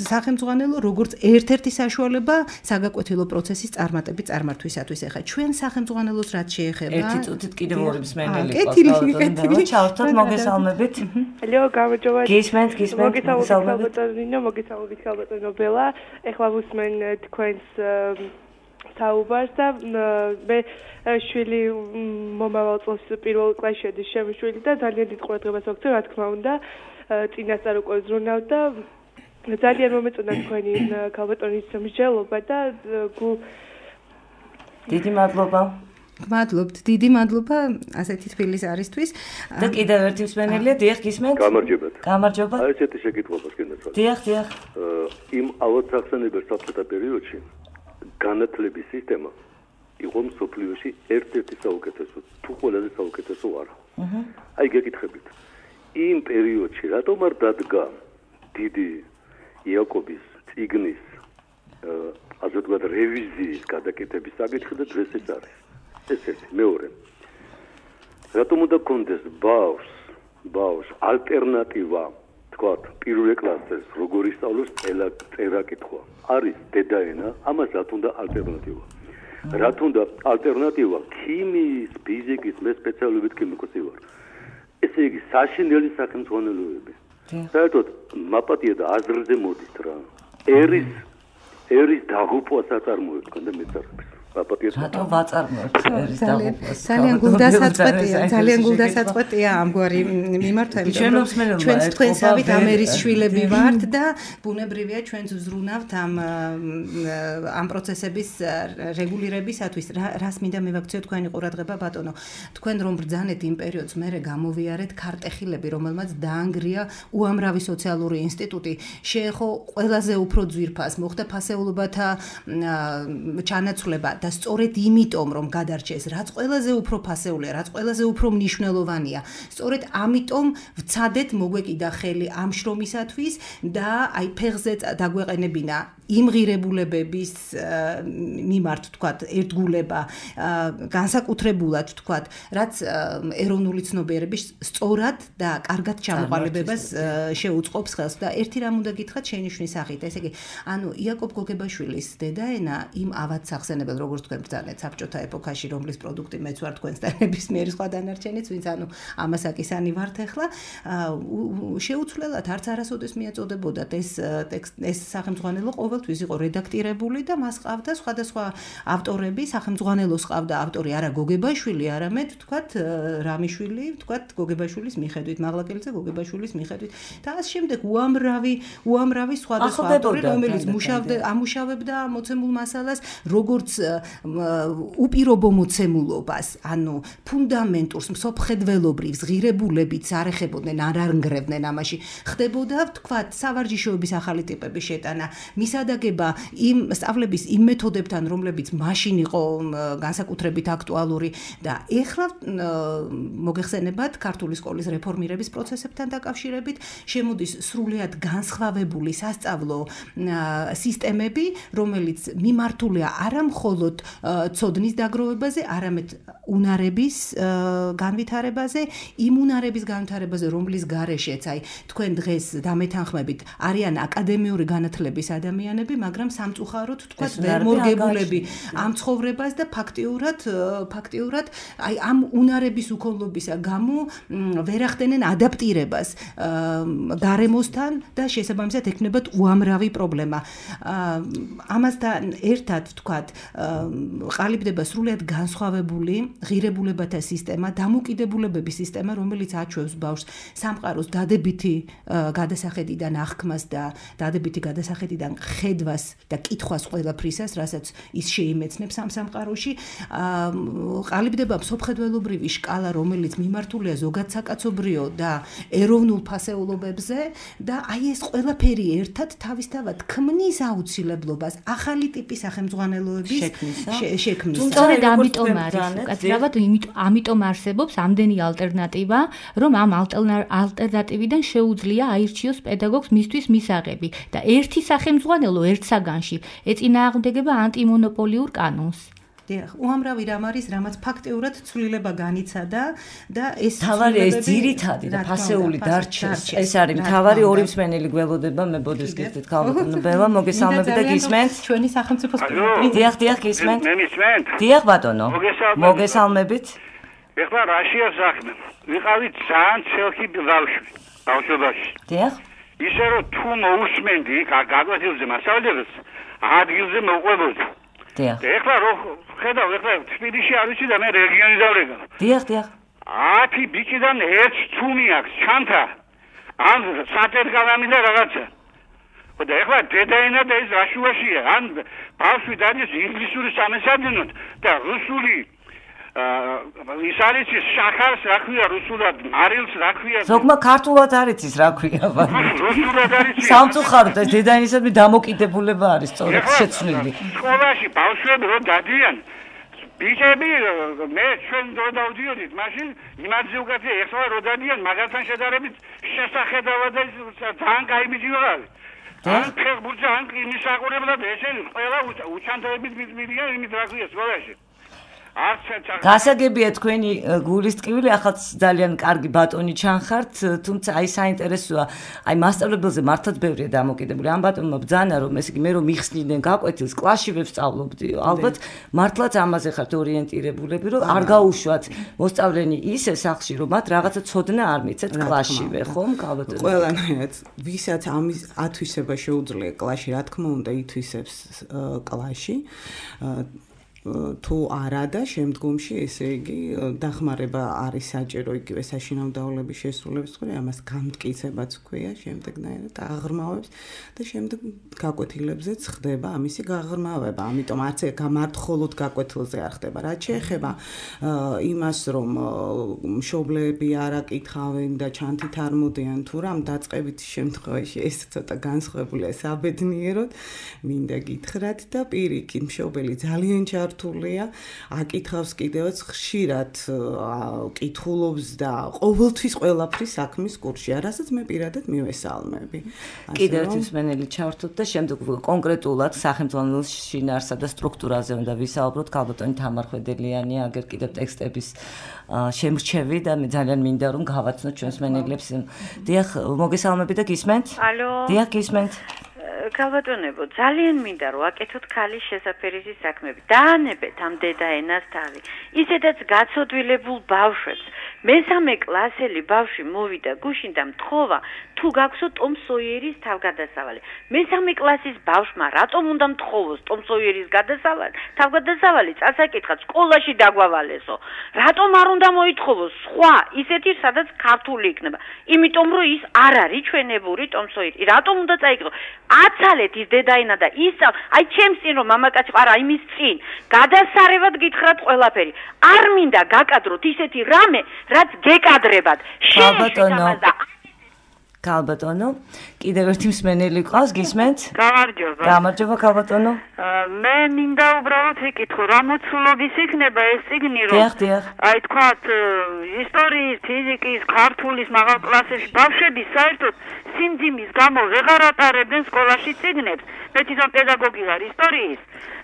სახელმძღვანელო როგორც ერთ-ერთი საშუალება საგაკვეთილო პროცესის წარმართვისათვის. ეხლა ჩვენ სახელმძღვანელოს რაც შეეხება ერთი წუთით კიდევ ორი მსმენელი ყავს. ჩავთვალოთ მოგესალმებით. ალო, გამარჯობა. გისმენთ, მოგესალმებით ქალბატონო ბელა. ეხლა ვუსმენ თქვენს საუბარს და მე შვილი მომავალ წელს პირველ კლასში შედის ჩემი შვილი და ძალიან დიდ ყურადღებას ვაქცევ, რა თქმა უნდა, წინასწარ უკვე ზრუნავ და ძალიან მომეწონა თქვენი ქალბატონის მსჯელობა და დიდი მადლობა. მადლობთ, დიდი მადლობა ასეთი თბილის არისთვის. და კიდევ ერთი მსმენელია, დიახ, გისმენთ? გამარჯობათ. გამარჯობა. აი ესეთი შეკითხვას გინდათ. დიახ, დიახ. იმ ალბათ სახსენებელ საბჭოთა პერიოდში განათლების სისტემა იყო მსოფლიოში ერთ-ერთი საუკეთესო, თუ ყველაზე საუკეთესო არა. აი გეკითხებით. იმ პერიოდში რატომ არ დადგა დიდი იაკობის წიგნის ასე ვთქვათ რევიზიის გადაკეთების საკითხი და დღეს ეს არის. ეს ერთი, მეორე. რატომ უნდა კონდეს ბავშვს ალტერნატივა, თქვათ, პირველ კლასეს როგორ ისწავლოს წერა კითხვა. არის დედაენა, ამას რა თუნდა ალტერნატივა. რა თუნდა ალტერნატივა ქიმიის, ფიზიკის, მე სპეციალობით ქიმიკოსი ვარ. ესე იგი საშინელი სახელმძღვანელოები. საერთოდ მაპატია და აზრზე მოდის რა. ერის დაღუპვას აწარმოებს და მეცარებს. რატომ ვაწარმოებთ ერის დაღუპვას? ძალიან გულდასაწყვეტია ამგვარი მიმართვა, იმიტომ რომ ჩვენ თქვენსავით ამ ერის შვილები ვართ და ბუნებრივია ჩვენც ვზრუნავთ ამ პროცესების რეგულირებისათვის. რას მინდა მივაქციო თქვენი ყურადღება ბატონო. თქვენ რომ ბრძანეთ იმ პერიოდს, მერე გამოვიარეთ ქარტეხილები, რომელმაც დაანგრია უამრავი სოციალური ინსტიტუტი, შეეხო ყველაზე უფრო ძვირფას, მოხდა ფასეულობათა ჩანაცვლება და სწორედ იმიტომ რომ გადარჩეს, რაც ყველაზე უფრო ფასეულია, რაც ყველაზე უფრო მნიშვნელოვანია, სწორედ ამიტომ ვცადეთ მოგვეკიდა ხელი ამ შრომისათვის და აი ფეხზე დაგვეყენებინა იმ ღირებულებების მიმართ თქვათ ერთგულება განსაკუთრებულად თქვათ რაც ეროვნული ცნობიერების სწორად და კარგად ჩამოყალიბებას შეუწყობს ხელს და ერთი რამ უნდა გითხრათ შენიშვნის სახით ესე იგი ანუ იაკობ გოგებაშვილის დედაენა იმ ავად სახსენებელ როგორც თქვენ ბრძანეთ საბჭოთა ეპოქაში რომლის პროდუქტი მეც ვარ თქვენსთან ნებისმიერი სხვა დანარჩენიც ვინც ანუ ამასაკისანი ვართ ახლა შეუცვლელად არც არასოდეს მიაწოდებოდათ ეს სახელმძღვანელო ყოველთვის იყო რედაქტირებული და მას ყავდა სხვადასხვა ავტორები, სახელმძღვანელოს ყავდა ავტორი არა გოგებაშვილი, არამედ თქვათ რამიშვილი, თქვათ გოგებაშვილის მიხედვით, მაღლაკელიძე გოგებაშვილის მიხედვით და ამ შემდეგ უამრავი სხვადასხვა ავტორი, რომელიც ამუშავებდა მოცემულ მასალას, როგორც უპირობო მოცემულობას, ანუ ფუნდამენტურს, მსოფლმხედველობრივს, ღირებულებით არ ეხებოდნენ, არ არნგრევდნენ ამაში. ხდებოდა, თქვათ, სავარჯიშოების ახალი ტიპების შეტანა, მისადაგება იმ სწავლების იმ მეთოდებთან, რომლებიც მაშინ იყო განსაკუთრებით აქტუალური და ეხლა მოგეხსენებათ ქართული სკოლის რეფორმირების პროცესებთან დაკავშირებით შემოდის სრულიად განსხვავებული სასწავლო სისტემები, რომელიც მიმართულია არა მხოლოდ ცოდნის დაგროვებაზე, არამედ უნარების განვითარებაზე, იმ უნარების განვითარებაზე, რომლის გარეშეც აი თქვენ დღეს დამეთანხმებით არიან აკადემიური განათლების ადამიანები, მაგრამ სამწუხაროდ თქვა ვერ მორგებულები ამ ცხოვრებას და ფაქტიურად აი ამ უნარების უქონლობისა გამო ვერ ახდენენ ადაპტირებას გარემოსთან და შესაბამისად ექნებათ უამრავი პრობლემა. ამასთან ერთად თქვათ ყალიბდება სრულიად განსხვავებული ღირებულებათა სისტემა, დამოკიდებულებების სისტემა, რომელიც აჩვევს ბავშვს სამყაროს დადებითი გადასახედიდან აღქმას და დადებითი გადასახედიდან ხედვას და კითხვას ყველაფრისას, რასაც ის შეიმეცნებს ამ სამყაროში. ყალიბდება მსოფლმხედველობრივი შკალა, რომელიც მიმართულია ზოგადსაკაცობრიო და ეროვნულ ფასეულობებზე და აი ეს ყველაფერი ერთად თავისთავად ქმნის აუცილებლობას ახალი ტიპის სახელმძღვანელოების შექმნის. სწორედ ამიტომ არის, უკაცრავად ამიტომ არსებობს ამდენი ალტერნატივა, რომ ამ ალტერნატივიდან შეუძლია აირჩიოს პედაგოგს მისთვის მისაღები და ერთი სახელმძღვანელო ერთ საგანში ეწინააღმდეგება ანტიმონოპოლიურ კანონს. უამრავი რამ არის, რამაც ფაქტიურად ცვლილება განიცადა და ეს თავარი ეს ძირითადი და ფასეული დარჩეს. ეს არის თავარი ორი მსმენელი გველოდება, მე ბოდეს გიხდით ქალბატონო ბელა, მოგესალმებით და გისმენთ? ჩვენი სახელმწიფოს პრეზიდენტი. დიახ, გისმენთ? მე მისმენთ? დიახ ბატონო. მოგესალმებით. ეხლა რაშია საქმე? ვიყავით ძალიან ცელქი ბავშვობაში. დიახ. ისე რომ თუ მოусმენდი გაგვაცილზე მასალებს, ადგილზე მოყვებოდი. დიახ. ეხლა რო ხედავ, ეხლა თბილისში არ ვიცი და მე რეგიონი დავრეგა. დიახ. 10 ბიჭიდან ერთ თუმი აქვს, ჩანთა. ან საერთგალამი და რაღაცა. და ეხლა დედაენა და ეს რაშუაშია, ან ბავშვი დადის ინგლისური სამესადნოდ და რუსული ის არის შახარს რა ქვია რუსულად, მარილს რა ქვია. ზოგმა ქართულად არ იცის რა ქვია, მაგრამ რუსულად არ იცის. სამწუხაროდ ეს დედაენისადმი დამოკიდებულება არის სწორედ შეცვლილი. სკოლაში ბავშვები რო დადიან ბიჭები მე ჩვენ დრო დავდიოდით მაშინ იმაზე უკეთე ეხლა რო დადიან მაგასთან შედარებით შესახედავად ძალიან კაი ბიჭი ვარ ან ფეხბურთზე ან იმის საყურებლად ესენი ყველა უჩანთოებით მიდიან იმით რა ქვია სკოლაში გასაგებია თქვენი გულის ტკივილი ახალ ძალიან კარგი ბატონი ჩანხართ თუმცა აი საინტერესოა აი მასწავლებელზე მართლაც ბევრია დამოკიდებული ამ ბატონმა ბძანა რომ ესე იგი მე რომ მიხსნიდნენ გაკვეთილს კლასში ვსწავლობდი ალბათ მართლაც ამაზე ხართ ორიენტირებულები რომ არ გაუშვათ მოსწავლენი ისე სახლში რომ მათ რაღაცა ცოდნა არ მიცეთ კლასშივე ხომ გაბატონო ყველანაირად ვისაც ამის ათვისება შეუძლია კლასში რა თქმა უნდა ითვისებს კლასში თუ არა და შემდგომში ესე იგი დახმარება არის საჭირო იგივე საშინაო დავალების შესრულების ხოლმე ამას გამტკიცებაც ქვია შემდეგნაირად აღრმავებს და შემდეგ გაკვეთილებზეც ხდება ამისი გაღრმავება ამიტომ არც გამარტხოლოდ გაკვეთილზე არ ხდება რაც შეეხება იმას რომ მშობლები არ აკითხავენ და ჩანთით არ მოდიან თუ რამ დაწყებით შემთხვევაში ეს ცოტა განსხვავებულია საბედნიეროდ მინდა გითხრათ და პირიქით მშობელი ძალიან ჩართულია აკითხავს კიდევაც ხშირად კითხულობს და ყოველთვის ყველაფრის საქმის კურსში რასაც მე პირადად მივესალმები კიდევ ერთის მენელი ჩართოთ და შემდეგ კონკრეტულად სახელმწიფო შინაარსსა და სტრუქტურაზე უნდა ვისაუბროთ ქალბატონი თამარ ხვედელიანი აგერ კიდევ ტექსტების შემრჩევი და მე ძალიან მინდა რომ გავაცნოთ ჩვენს მენელებს დიახ მოგესალმები და გისმენთ ალო დიახ გისმენთ ქალბატონებო ძალიან მინდა რომ აკეთოთ ქალის შესაფერისი საქმები დაანებეთ ამ დედაენას თავი ისედაც გაცოდვილებულ ბავშვებს მესამე კლასელი ბავშვი მოვიდა გუშინ და მთხოვა თუ გაქვსო ტომ სოიერის თავგადასავალი მესამე კლასის ბავშვმა რატომ უნდა მთხოვოს ტომ სოიერის თავგადასავალი წასაკითხად სკოლაში დაგვავალესო რატომ არ უნდა მოითხოვოს სხვა ისეთი სადაც ქართული იქნება იმიტომ რომ ის არ არის ჩვენებური ტომ სოიერი რატომ უნდა წაიკითხო აცალეთ ის დედაენა და ისწავლ აი ჩემს წინ რომ მამაკაცი ყარა იმის წინ გადასარევად გითხრათ ყველაფერი არ მინდა გაკადროთ ისეთი რამე რაც გეკადრებად ქალბატონო კიდევ ერთი მსმენელი ყავს გისმენთ გამარჯობა ქალბატონო მე მინდა უბრალოდ ვიკითხო რა მოცულობის იქნება ეს წიგნი რომ აი თქვათ ისტორიის ფიზიკის ქართულის მაღალ კლასებში ბავშვები საერთოდ სიმძიმის გამო ვეღარ ატარებდნენ სკოლაში წიგნებს მე თვითონ პედაგოგი ვარ ისტორიის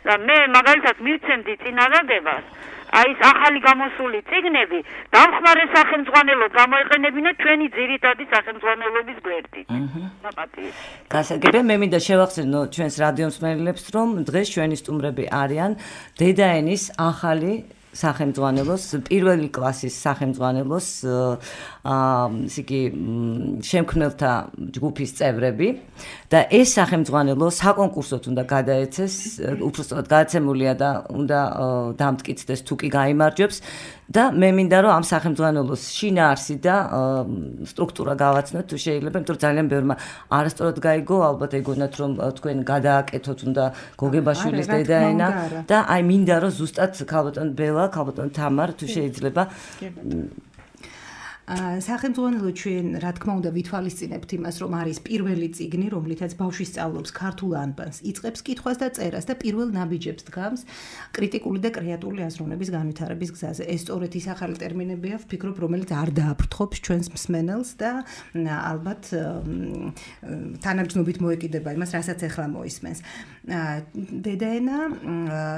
და მე მაგალითად მივცემდი წინადადებას აი ეს ახალი გამოსული წიგნები დამხმარე სახელმძღვანელოდ გამოიყენებინა ჩვენი ძირითადი სახელმძღვანელობის გვერდით. გასაგებია მე მინდა შევახსენო ჩვენს რადიო მსმენელებს რომ დღეს ჩვენი სტუმრები არიან დედაენის ახალი სახელმძღვანელოს პირველი კლასის სახელმძღვანელოს ისე იგი შემქმნელთა ჯგუფის წევრები და ეს სახელმძღვანელო საკონკურსოდ უნდა გადაეცეს უბრალოდ გადაცემულია და უნდა დამტკიცდეს თუ კი გაიმარჯვებს და მე მინდა რომ ამ სახელმძღვანელოს შინაარსი და სტრუქტურა გავაცნოთ თუ შეიძლება იმიტომ რომ ძალიან ბევრმა არასწორად გაიგო ალბათ ეგონათ რომ თქვენ გადააკეთოთ უნდა გოგებაშვილის დედაენა და აი მინდა რომ ზუსტად ქალბატონ ბელა ქალბატონ თამარ თუ შეიძლება სახელმძღვანელო ჩვენ რა თქმა უნდა ვითვალისწინებთ იმას რომ არის პირველი წიგნი რომლითაც ბავშვი სწავლობს ქართულ ანბანს იწყებს კითხვას და წერას და პირველ ნაბიჯებს დგამს კრიტიკული და კრეატიული აზროვნების განვითარების გზაზე ეს სწორედ ის ახალი ტერმინებია ვფიქრობ რომელიც არ დააფრთხობს ჩვენს მსმენელს და ალბათ თანაბრძნობით მოეკიდება იმას რასაც ახლა მოისმენს დედაენა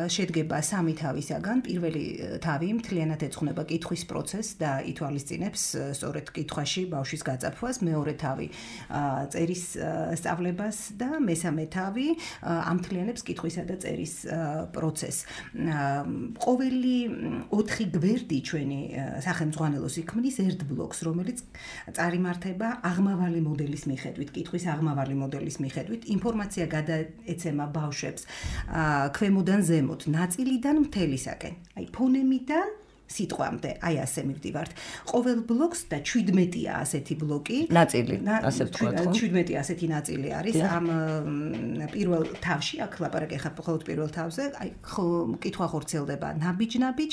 შედგება სამი თავისაგან პირველი თავი მთლიანად ეძღვნება კითხვის პროცესს და ითვალისწინებს სწორედ კითხვაში ბავშვის გაწაფვას, მეორე თავი წერის სწავლებას და მესამე თავი ამთლიანებს კითხვისა და წერის პროცესს. ყოველი 4 გვერდი ჩვენი სახელმძღვანელოს იქმნის ერთ ბლოკს, რომელიც წარიმართება აღმავალი მოდელის მიხედვით, კითხვის აღმავალი მოდელის მიხედვით, ინფორმაცია გადაეცემა ბავშვებს ქვემოდან ზემოთ, ნაწილიდან მთელისაკენ. აი ფონემიდან სიტყვამდე. აი ასე მივდივართ. ყოველ ბლოკს და 17-ია ასეთი ბლოკი. ნაწილი, ასე ვთქვათ, ხო? 17 ასეთი ნაწილი არის ამ პირველ თავში, აქ ლაპარაკი ხარ მხოლოდ პირველ თავზე. აი კითხვა ხორცელდება ნაბიჯ-ნაბიჯ,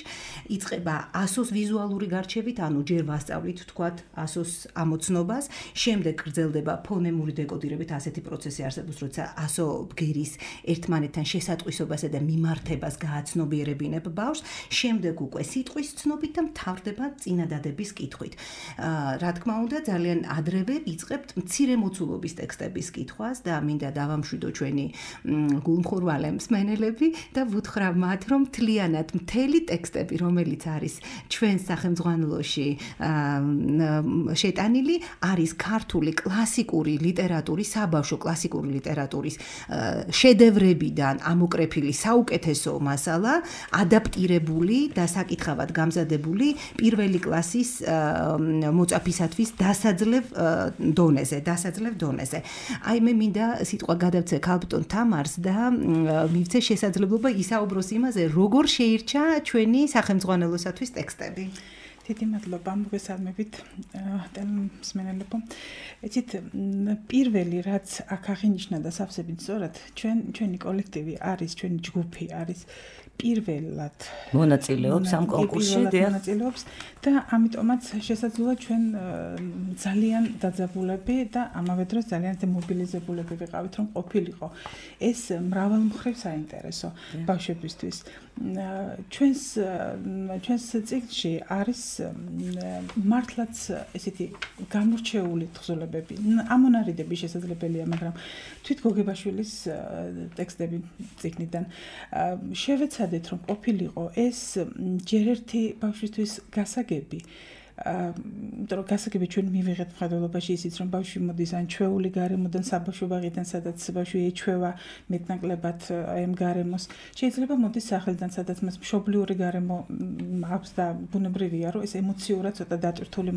იწყება ASO-ს ვიზუალური გარჩევით, ანუ ჯერ ვასწავლით ვთქვათ ASO-ს ამოცნობას, შემდეგ გრძელდება ფონემური დეკოდირებით, ასეთი პროცესი არსებობს, როცა ASO ბგერის ერთმანეთთან შესატყვისობასა და მიმართებას გააცნობიერებინებ ბავშვს, შემდეგ უკვე სიტყვის ცნობით და მთავრდება წინადადების კითხვით. რა თქმა უნდა, ძალიან ადრევე იწყებთ მცირე მოცულობის ტექსტების კითხვას და მინდა დავამშვიდო ჩვენი გულმხურვალე მსმენელები და ვუთხრა მათ, რომ მთლიანად მთელი ტექსტები, რომელიც არის ჩვენს სახელმძღვანელოში შეტანილი, არის ქართული კლასიკური ლიტერატურის, საბავშვო კლასიკური ლიტერატურის შედევრებიდან ამოკრეფილი საუკეთესო მასალა, ადაპტირებული და საკითხავად გამზადებული პირველი კლასის მოწაფისათვის დასაძლევ დონეზე. აი მე მინდა სიტყვა გადავცე ქალბატონ თამარს და მივცე შესაძლებლობა ისაუბროს იმაზე, როგორ შეირჩა ჩვენი სახელმძღვანელოსათვის ტექსტები. დიდი მადლობა, მოგესალმებით ტელემსმენელებო. ეცით პირველი რაც აქ აღინიშნა და სავსებით სწორად, ჩვენი კოლექტივი არის, ჩვენი ჯგუფი არის პირველად მონაწილეობს ამ კონკურსში და ამიტომაც შესაძლოა ჩვენ ძალიან დაძაბულები და ამავე დროს ძალიან დემობილიზებულები ვიყავით, რომ ყოფილიყო ეს მრავალმხრივ საინტერესო ბავშვებისთვის. ჩვენს ციკლში არის მართლაც ესეთი გამორჩეული თხზულებები. ამონარიდები შესაძლებელია, მაგრამ თვით გოგებაშვილის ტექსტები ციკლიდან შევეცადეთ, რომ ყოფილიყო ეს ჯერ ერთი ბავშვისთვის გასაგები. იმიტომ რომ გასაგები ჩვენ მივიღეთ მხედველობაში ისიც, რომ ბავშვი მოდის ან ჩვეული გარემოდან, საბავშვო ბაღიდან, სადაც ბავშვი ეჩვევა მეტნაკლებად აი ამ გარემოს. შეიძლება მოდის სახელიდან, სადაც მას მშობლიური გარემო აქვს და ბუნებრივია, რომ ეს ემოციურად ცოტა დატვირთული.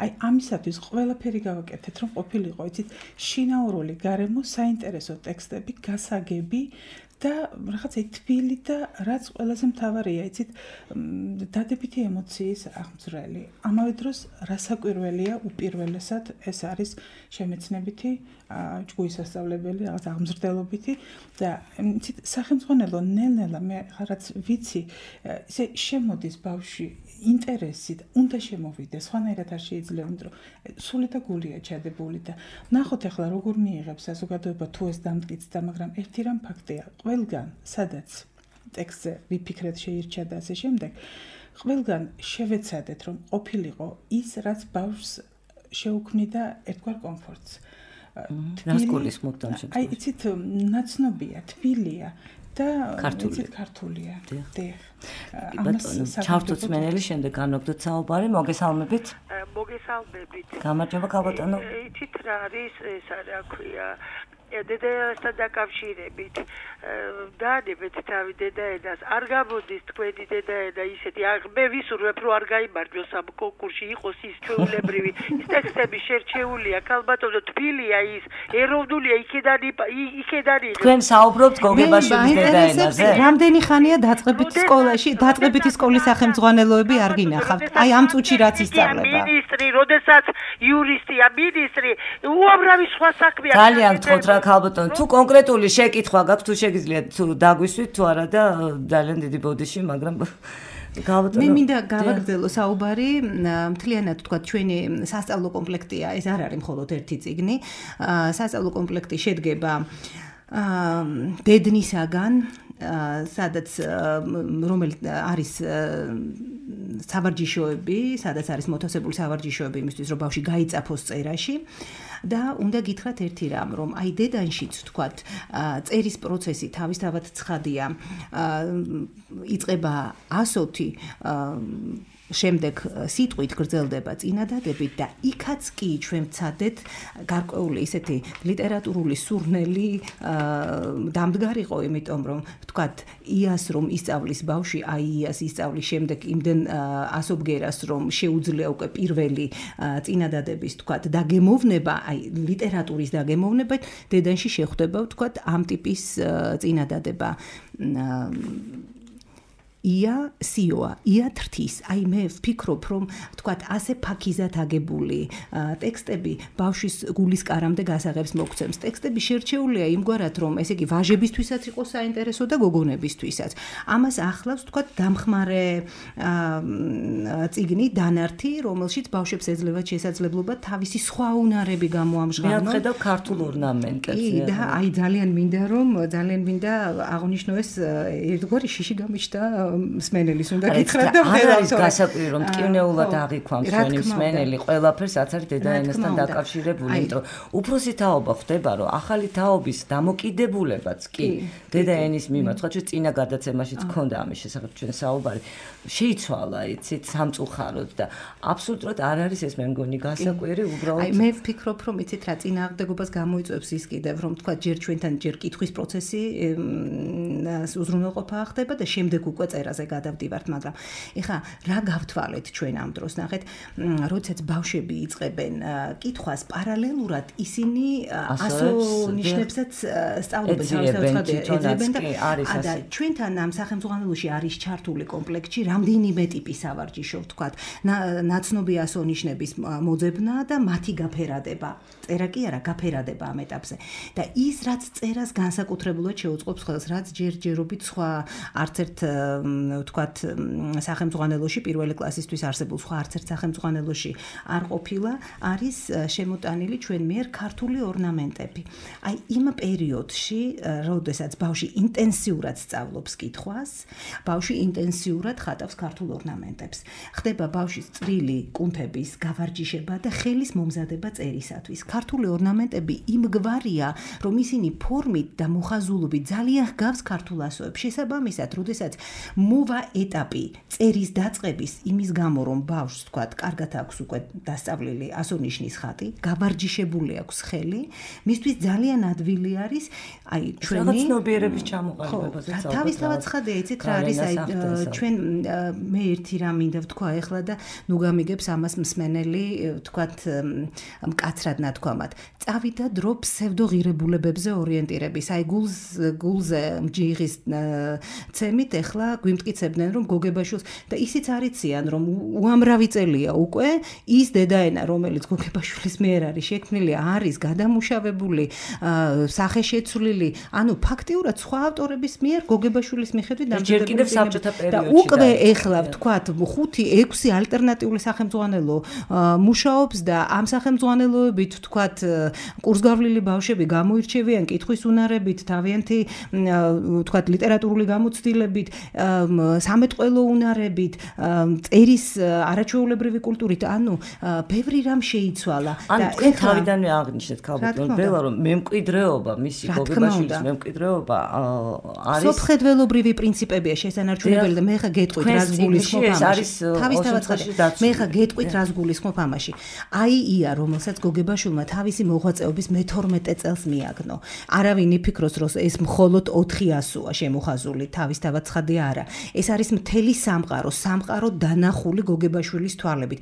აი ამისათვის ყველაფერი გავაკეთეთ, რომ ყოფილიყო, იცით, შინაურული გარემო, საინტერესო ტექსტები, გასაგები და რაღაცა თბილი და რაც ყველაზე მთავარია, იცით, დადებითი ემოციის აღმძვრელი. ამავე დროს რასაკვირველია უპირველესად ეს არის შემეცნებითი ჯგუფის სასწავლებელი, რაღაც აღმზრდელობითი და იცით, სახელმძღვანელო ნელ-ნელა მე რაც ვიცი, ისე შემოდის ბავშვი ინტერესით, უნდა შემოვიდეს, სხვანაირად არ შეიძლება, იმიტომ რომ სული და გულია ჩადებული და ნახოთ ახლა როგორ მიიღებს საზოგადოება თუ ეს დამტკიცდა, მაგრამ ერთი რამ ფაქტია, ყველგან, სადაც ტექსტზე ვიფიქრეთ შეირჩა და ასე შემდეგ, ყველგან შევეცადეთ, რომ ყოფილიყო ის, რაც ბავშვს შეუქმნიდა ერთგვარ კომფორტს. ნასკოლის მოდამ შეგვიძლია. აი, იცით, ნაცნობია, თბილია და ქართულია. ბატონო, ჩავთვით მენელი, შემდეგ განვაგდოთ საუბარი, მოგესალმებით. მოგესალმებით. გამარჯობა, ქალბატონო. იცით რა არის ეს რა ქვია? დედასთან დაკავშირებით დაანებეთ თავი დედაენას, არ გამოდის თქვენი დედაენა ისეთი, მე ვისურვებ, რომ არ გაიმარჯვოს ამ კონკურსში, იყოს ის ჩვეულებრივი, ის ტექსტები შერჩეულია, ქალბატონო, თბილია ის, ეროვნულია, იქედან თქვენ საუბრობთ გოგებაშვილის დედაენაზე? რამდენი ხანია დაწყებითი სკოლის სახელმძღვანელოები არ გინახავთ? აი ამ წუთში რაც ისწავლება. მინისტრი, როდესაც იურისტია, მინისტრი, უამრავი სხვა საქმეა. ძალიან გთხოვთ რა ქალბატონო, თუ კონკრეტული შეკითხვა გაქვთ, თუ შეგიძლიათ თუ დაგვისვით თუ არა და ძალიან დიდი ბოდიში, მაგრამ მე მინდა გავაგრძელო საუბარი, მთლიანად თქვა ჩვენი სასწავლო კომპლექტია, ეს არ არის მხოლოდ ერთი წიგნი. სასწავლო კომპლექტი შედგება დედნისაგან, სადაც რომელიც არის სავარჯიშოები, სადაც არის მოთავსებული სავარჯიშოები იმისთვის, რომ ბავშვი გაიწაფოს წერაში. და უნდა გითხრათ ერთი რამ, რომ აი დედანშიც ვთქვათ, წერის პროცესი თავისთავად ცხადია. იწყება ასოთი, შემდეგ სიტყვით გრძელდება წინადადებით და იქაც კი ჩვენ ვცადეთ გარკვეული ისეთი ლიტერატურული სურნელი დამდგარიყო, იმიტომ რომ ვთქვათ, იას რომ ისწავლის ბავშვი, აი იას ისწავლის შემდეგ იმდენ ასობგერას რომ შეუძლია უკვე პირველი წინადადების ვთქვათ დაგემოვნება, აი ლიტერატურის დაგემოვნება, დედანში შეხვდება ვთქვათ ამ ტიპის წინადადება. ია სიოა, ია თრთის. აი მე ვფიქრობ, რომ თქვათ ასე ფაქიზად აგებული ტექსტები ბავშვის გულის კარამდე გასაღებს მოგცემს. ტექსტები შერჩეულია იმგვარად, რომ ესე იგი ვაჟებისთვისაც იყოს საინტერესო და გოგონებისთვისაც. ამას ახლავს თქვათ დამხმარე წიგნი დანართი, რომელშიც ბავშვებს ეძლევათ შესაძლებლობა თავისი სხვა უნარები გამოამჟღავნონ. მე ვხედავ ქართულ ორნამენტებს. კი, და აი ძალიან მინდა აღნიშნოს ერთგვარი შიში გამიჩნდა მსმენელის უნდა გითხრათ და არ არის გასაკვირი რომ ტკივნეულად აღიქვამს ჩვენი მსმენელი ყველაფერს რაც არის დედაენასთან დაკავშირებული, იმიტომ უფროსი თაობა ხდება რომ ახალი თაობის დამოკიდებულებაც კი დედაენის მიმართ, ხო ჩვენ წინა გადაცემაშიც ქონდა ამის შესახებ ჩვენ საუბარი, შეიცვალა იცით სამწუხაროდ და აბსოლუტურად არ არის ეს მე მგონი გასაკვირი უბრალოდ. აი მე ვფიქრობ რომ იცით რა წინააღმდეგობას გამოიწვევს ის კიდევ რომ თქვა ჯერ ჩვენთან ჯერ კითხვის პროცესი უზრუნველყოფა ხდება და შემდეგ უკვე წერაზე გადავდივართ, მაგრამ ეხა რა გავთვალეთ ჩვენ ამ დროს ნახეთ, როდესაც ბავშვები იწყებენ კითხვას პარალელურად ისინი ასო-ნიშნებსაც სწავლობენ ეძებენ და ჩვენთან ამ სახელმძღვანელოში არის ჩართული კომპლექტში რამდენიმე ტიპის სავარჯიშო ვთქვათ, ნაცნობი ასო-ნიშნების მოძებნა და მათი გაფერადება. წერა კი არა, გაფერადება ამ ეტაპზე. და ის რაც წერას განსაკუთრებულად შეუწყობს ხელს, რაც ჯერჯერობით სხვა არც ერთ ვთქვათ სახელმძღვანელოში პირველი კლასისთვის არსებულ სხვა არც ერთ სახელმძღვანელოში არ ყოფილა, არის შემოტანილი ჩვენ მიერ ქართული ორნამენტები. აი იმ პერიოდში, როდესაც ბავშვი ინტენსიურად სწავლობს კითხვას, ბავშვი ინტენსიურად ხატავს ქართულ ორნამენტებს. ხდება ბავშვის წვრილი კუნთების გავარჯიშება და ხელის მომზადება წერისათვის. ქართული ორნამენტები იმგვარია, რომ ისინი ფორმით და მოხაზულობით ძალიან ჰგავს ქართულ ასოებს. შესაბამისად, როდესაც მოვა ეტაპი წერის დაწყების იმის გამო, რომ ბავშვს თქვათ, კარგად აქვს უკვე დასწავლილი ასო-ნიშნის ხატი, გავარჯიშებული აქვს ხელი, მისთვის ძალიან ადვილი არის აი ჩვენი ცნობიერების ჩამოყალიბებაზე წავიდა. თავისთავად ცხადია, იცით რა არის აი ჩვენ მე ერთი რამ მინდა ვთქვა ახლა და ნუ გამიგებს ამას მსმენელი ვთქვათ მკაცრად ნათქვამად. წავიდა დრო ფსევდოღირებულებებზე ორიენტირების. აი გულზე მჯიღის ცემით ახლა გვიმტკიცებდნენ რომ გოგებაშვილს და ისიც არიციან რომ უამრავი წელია უკვე ის დედაენა რომელიც გოგებაშვილის მიერ არის შექმნილი არის გადამუშავებული სახეშეცვლილი, ანუ ფაქტიურად სხვა ავტორების მიერ გოგებაშვილის მიხედვით დამჯერებული და უკვე ახლა ვთქვათ 5-6 ალტერნატიული სახელმძღვანელო მუშაობს და ამ სახელმძღვანელოებით ვთქვათ კურსგავლილი ბავშვები გამოირჩევიან კითხვის უნარებით, თავიანთი ვთქვათ ლიტერატურული გამოცდილებით, სამეთყველო უნარებით, წერის არაჩვეულებრივი კულტურით, ანუ ბევრი რამ შეიცვალა. ანუ თქვენ თავიდანვე აღნიშნეთ ქალბატონ ბელა რომ მემკვიდრეობა, მისი გოგებაშვილის მემკვიდრეობა არის სოფხედველობრივი პრინციპებია შესანარჩუნებელი და მე ხა გეტყვით რას გულისხმობ ამაში. თავისთავად მე ხა გეტყვით რას გულისხმობ ამაში. აი ია რომელსაც გოგებაშვილმა თავისი მოღვაწეობის მე-12 წელს მიაგნო. არავინ იფიქროს რომ ეს მხოლოდ 400-ია შემოხაზული, თავისთავად ცხადია არა. ეს არის მთელი სამყარო დანახული გოგებაშვილის თვალებით.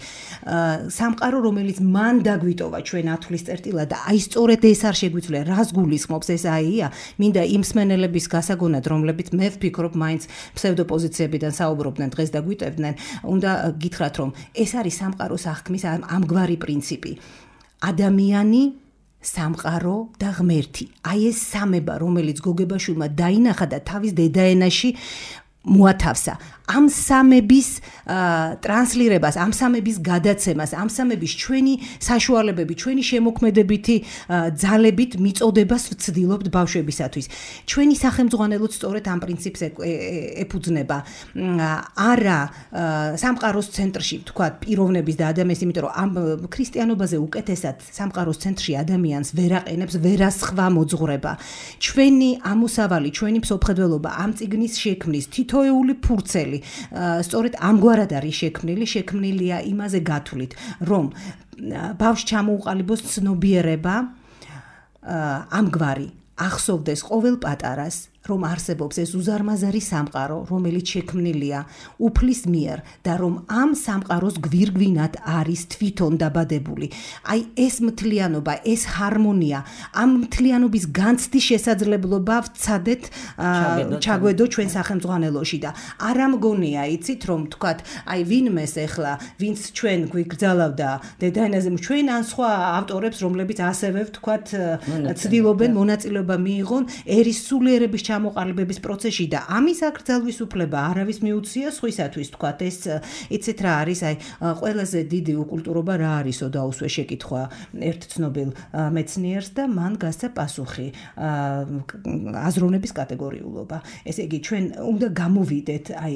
სამყარო რომელიც მან დაგვიტოვა ჩვენ ათვლის წერტილად და აი სწორედ ეს არ შეგვიძლია რას გულისხმობს ეს აია, მინდა იმ მსმენელების გასაგონად რომლებიც მე ვფიქრობ მაინც ფსევდოპოზიციებიდან საუბრობდნენ დღეს და გვიტევდნენ, უნდა გითხრათ რომ ეს არის სამყაროს აღქმის ამგვარი პრინციპი. ადამიანი, სამყარო და ღმერთი. აი ეს სამება, რომელიც გოგებაშვილმა დაინახა და თავის დედაენაში მოათავსა. ამ სამების ტრანსლირებას, ამ სამების გადაცემას, ამ სამების ჩვენი საშუალებები, ჩვენი შემოქმედებითი ძალებით მიწოდებას ვცდილობთ ბავშვებისათვის. ჩვენი სახელმძღვანელოც სწორედ ამ პრინციპს ეფუძნება. არა სამყაროს ცენტრში, თქვათ, პიროვნების და ადამიანის, იმიტომ რომ ამ ქრისტიანობაზე უკეთესად სამყაროს ცენტრში ადამიანს ვერ აყენებს ვერასხვა მოძღვრება. ჩვენი ამოსავალი, ჩვენი ფსოფხედველობა ამ წიგნის შექმნის თითოეული ფურცელი სწორედ ამგვარად არის შექმნილია იმაზე გათვლით, რომ ბავშვს ჩამოუყალიბოს ცნობიერება ამგვარი ახსოვდეს ყოველ პატარას, რომ არსებობს ეს უზარმაზარი სამყარო, რომელიც შექმნილია უფლის მიერ და რომ ამ სამყაროს გვირგვინად არის თვითონ დაბადებული. აი ეს მთლიანობა, ეს ჰარმონია, ამ მთლიანობის განცდის შესაძლებლობა ვცადეთ ჩაგვედო ჩვენ სახელმძღვანელოში და არ ამგონია, იცით, რომ თქვათ, აი ვინმეს ეხლა, ვინც ჩვენ გვიგრძალავდა დედაენაზე, ჩვენ ან სხვა ავტორებს, რომლებიც ასევე ვთქვათ, ცდილობენ მონაწილეობა მიიღონ ერის სულიერების ჩამოყალიბების პროცესში და ამის აკრძალვის უფლება არავის მიუცია სხვისათვის, თქვათ, ეს იცით რა არის, აი ყველაზე დიდი უკულტურობა რა არისო დაუსვე შეკითხვა ერთ ცნობილ მეცნიერს და მან გასცა პასუხი აზროვნების კატეგორიულობა. ესე იგი, ჩვენ უნდა გამოვიდეთ აი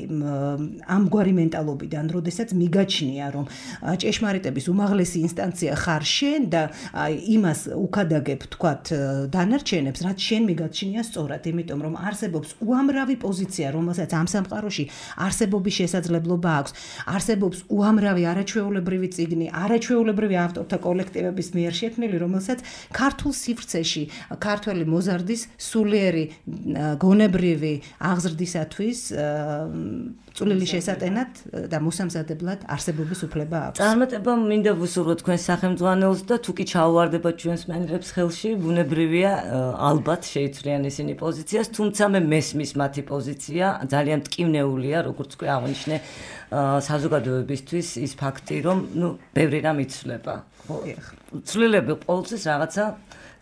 ამგვარი მენტალობიდან, როდესაც მიგაჩნია, რომ ჭეშმარიტების უმაღლესი ინსტანცია ხარ შენ და აი იმას უკადაგებ, თქვათ, დანარჩენებს, რაც შენ მიგაჩნია სწორად, იმიტომ რომ არსებობს უამრავი პოზიცია, რომელსაც ამ სამყაროში არსებობის შესაძლებლობა აქვს. არსებობს უამრავი არაჩვეულებრივი წიგნი, არაჩვეულებრივი ავტორთა კოლექტივების მიერ შექმნილი, რომელსაც ქართულ სივრცეში ქართველი მოზარდის სულიერი გონებრივი აღზრდისათვის წვლილი შესატენად და მოსამზადებლად არსებობის უფლება აქვს. წარმატება მინდა ვუსურვოთ თქვენ სახელმძღვანელოს და თუ კი ჩაუვარდება ჩვენს მენელებს ხელში, ბუნებრივია ალბათ შეიცვლიან ისინი პოზიციას, თუმცა მე მესმის მათი პოზიცია ძალიან მტკივნეულია, როგორც კი აღნიშნე საზოგადოებისთვის ის ფაქტი, რომ ბევრი რამ იცვლება. ცვლილები ყოველთვის რაღაცა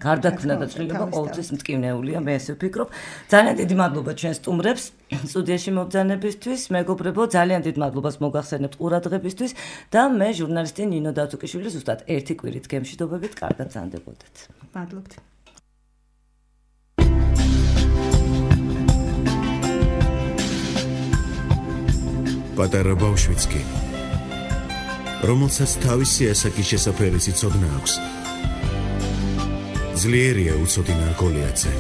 გარდაქმნა და ცვლილება ყოველთვის მტკივნეულია, მე ესე ვფიქრობ. ძალიან დიდი მადლობა ჩვენ სტუმრებს სტუდიაში მობრძანებისთვის, მეგობრებო, ძალიან დიდ მადლობას მოგახსენებთ ყურადღებისთვის და მე ჟურნალისტი ნინო დათუკიშვილი ზუსტად ერთი კვირით გემშვიდობებით, კარგად ზანდებოდეთ. მადლობთ. პატარა ბავშვიც კი, რომელსაც თავისი ასაკის შესაფერისი ცოდნა აქვს. ძლიერია უცოდინარ გოლიათზე.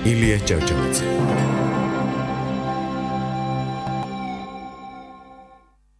ილია ჭავჭავაძე.